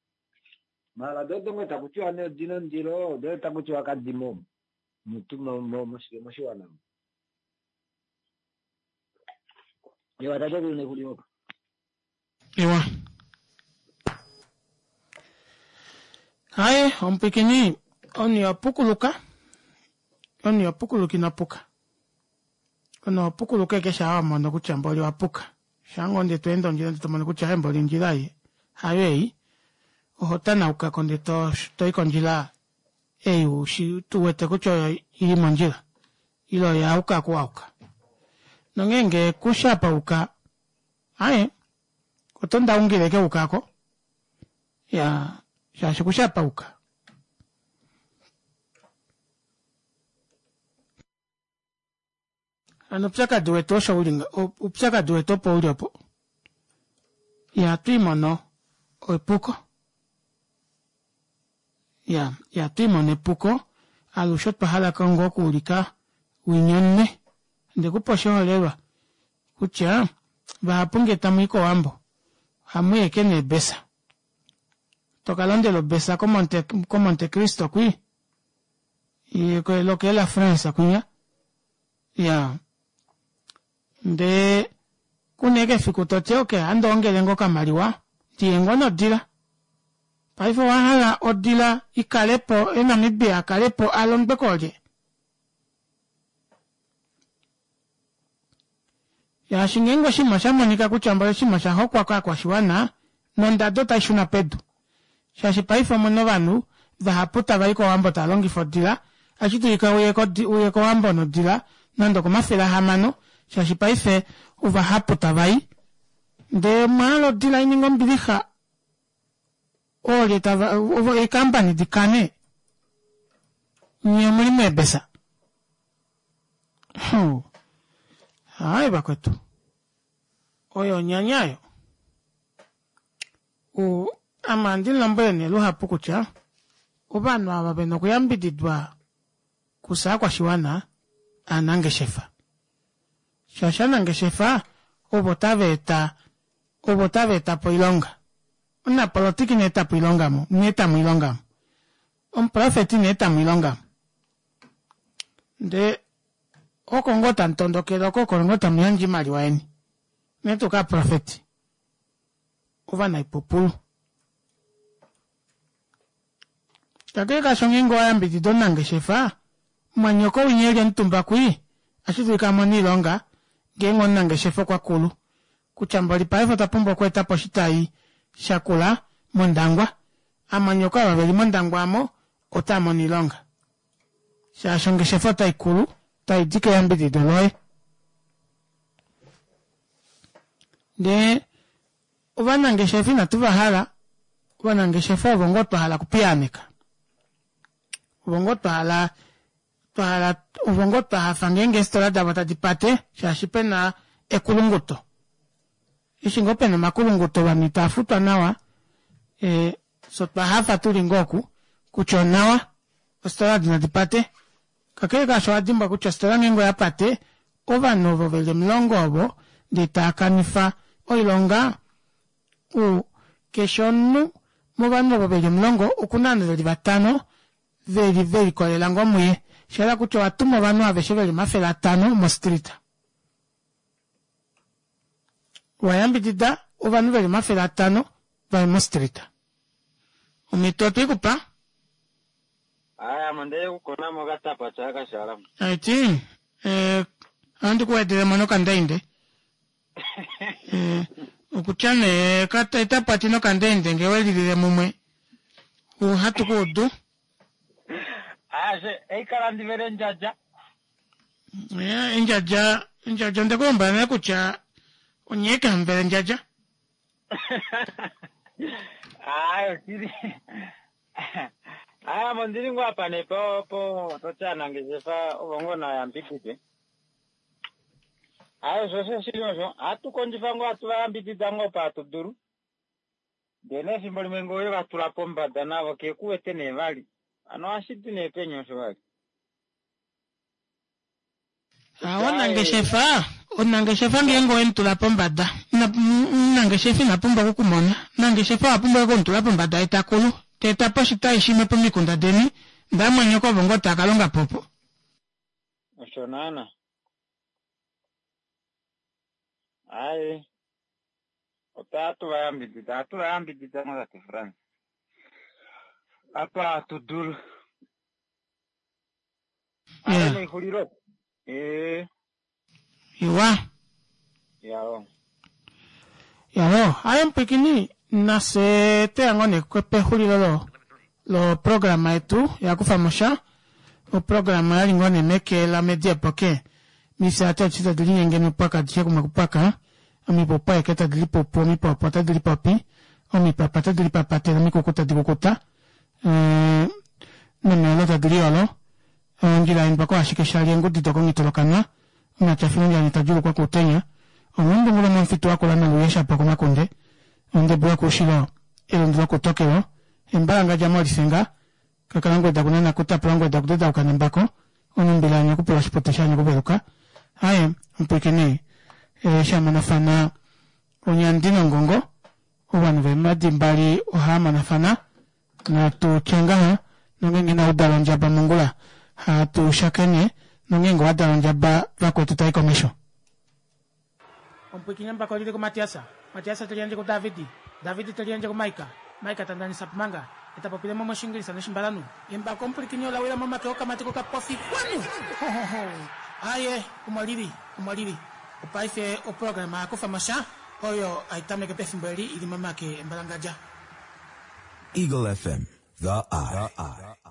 Mara dodo ngoo taku tiwa nee odina ondilo, do taku tiwa kadimo mutu moshiwana. Ewa tate kuli. Ewa. Haye, omupwikini omunhu ihapukuluka, omunhu ihapukuluka ina puka. Omunhu ohapukuluka ashike shaa wamono kutya mboli owapuka. Shaa ngoo ndee tweende ondjila ndee tomono kutya aaye mboli ondjila ei hayo ei, oho tanaukako ndee toyi kondjila ei ushi uwete kutya oyo ili mondjila ile oyo yayuka oku wayuka. Nongeenge kushi apa wayuka aaye oto ndaungile ashike wayuka aako iyaa shaashi kushi apa wayuka. Hano oupyakadi wetu osho uli oupyakadi wetu opo uli opo. Ihatu imono epuko. Iya, ihatu imono epuko, alushe otwa hala ngoo okuulika winya omunwe. Ondekupa oshiholelwa kutya vahapu ngee tamui kowambo ohamuyi ashike neebesa. Tokalondela obesa ko monte cristo kwii, lokee la france kwinya, iyaa ndee kuna ashike efiku toti okey ohandi ongele ngoo okamaliwa ndiye ngoo nodila. Paife owahala odila ikalepo ee namibia akalepo alondwe koolye? Shaashi ngeenge oshinima oshamonika kutya mboli oshinima oshahokwa kovakwashiwana nondado otaishuna pedu shaashi paife omuna ovanhu vahapu tavai kowambo tavalongifa odila ohashi dulika uye kowambo nodila nande okomafele ahamano shaashi paife ovahapu tavai ndee omwahala odila ininge ombilixa oolye tava eecompany dikane nyee omuli meebesa aaye vakwetu oyo onyanya aayo ame ohandi mulombwele nee luhapu kutya ovanhu ava vena okuyambididwa kufye ovakwashiwana ovanangeshefa shaashi ovanangeshefa ovo tava eta ovo tava etapo oilonga omunapolotika ina etapo oilonga omu ina etamo oilonga omu omuprofeti ina etamo oilonga omu ndee oko ngoo tamutondokele oko oko ngoo tamuyandje oimaliwa yeni unene tuu kovaprofeti ovanaipupulu. Kakele kaasho ngeenge owayambidida omunangeshefa mwanyoko winya eli omutumba kwii ohashi dulika amone oilonga ngeenge omunangeshefa okwakulu kutya mboli paife otwa pumbwa okweetapo oshitayi shakula mondangwa amwanyoko ava veli mondangwa aamo otaamono oilonga shaashi ongeshefa otaikulu taidi keyambidido loye. Ndee ovanangeshefa inatu vahala ovanangeshefa ovo ngoo twahala okupiyaaneka ovo ngoo twahala twahala ovo ngoo twahafa ngeenge eefitola davo tadi pate shaashi pena ekulunguto. Eshi ngoo pena omakulunguto ovanhu itavafutwa nawa ee fyee otwahafa tuli ngoo oku kutya onawa ofitola edi nadi pate. Kakele kaasho owadimbwa kutya ofitola ngeenge oyapate ovanhu ovo veli omulongo ovo ndee taakanifa oilonga u keshe omunhu movanhu ovo veli omulongo okuna ovanhu veli vatano veli velikolelela ngoo muye shahala kutya owatuma ovanhu aveshe veli omafele atano mo street. Wayambidida ovanhu veli omafele atano vaye mo street. Omhito otweikupa. Aya, ame onde kukonamo okatapati aka shala. Aiti eh, ohandi kuwedelemo nokandainde eh, okutya nee etapati nokandainde ngee welilile mumwe ohatu kuudu. Aya, eikala ndivele endjadja. Eh, endjadja endjadja ondekulombwela nale kutya onye ashike hamuvele endjadja. Ayi oshili. Aya, ame ondili ngoo apa nee po po toti aanangeshefa ovo ngoo nayambidide. Ayi osho osho shili osho. Ohatu kondjifa ngoo hatu vayambidida ngoo pa hatu dulu. Ndee nee efimbo limwe ngee owe vatula pombada navo kekuwete nee vali. Hano ohashi di nee peni osho vali? Ovanangeshefa Omunangeshefa ngeenge owe mu tula pombada, ina- omunangeshefa ina pumbwa okukumona. Omunangeshefa owa pumbwa okumutula pombada ye takulu, ta eta po oshitai shimwe pomikunda deni, ndee amwenyoko ovo ngoo taa ka longa po opo. Osho naana. Aye. Otatu va yambidida, ohatu va yambidida ngoo tate Frans. Apa hatu dulu. Aye nexulilo. Ee. Iwa. Yawo. Yawo, aye mupwikini nafye tweya ngoo nee pexulilo lo loprograma yetu yakufamo sha. Oprograma oyali ngoo nee meke la media poke mifya ati adishe tadi linyenge mipwaka adishe kumwe kupwaka omipupu aeke tadi lipupu omipopo otadi lipopi omipapa otadi lipapatele omikuku tadi kukuta ee nomiyolo tadi liyolo ondjila yaendwa ko ashike shali eengudi dokomhitolokanwa omatyafilonjani tadjuulukwa kuutenya omundungulo momufitu wakula noluye shapo komakunde ondebu yokuushilo elundu lokutokelo embalangadja molisenga kakalangweda kunana kutapula ngweda kudedauka nembako onumbila yanyakupula oshipute shanyakuveluka aye omupwiikini e, shamonafana onyandi nongongo ovanhu veemadi mbali ohaamonafana natu tye ngaha nongeenge inaudala ondjaba mongula hatu shakene nongeenge owadala ondjaba vakwetu tai komesho. Omupwiikini embako lili kuMatiasa, Matiasa teli yandje kuDavidi, Davidi teli yandje kuMaika, Maika ta ndanisa pomanga, eta popile mo moshingilisa noshimbalanhu. Embako omupwilikini ola wila momake okamati kokapofi kwanu! Ho, ho, ho. Aye, omo lili, omo lili. Opaife oprograma ya kufa mo sha, oyo hai tameke pefimbo eli ili momake embalangadja. Eagle F M, the eye.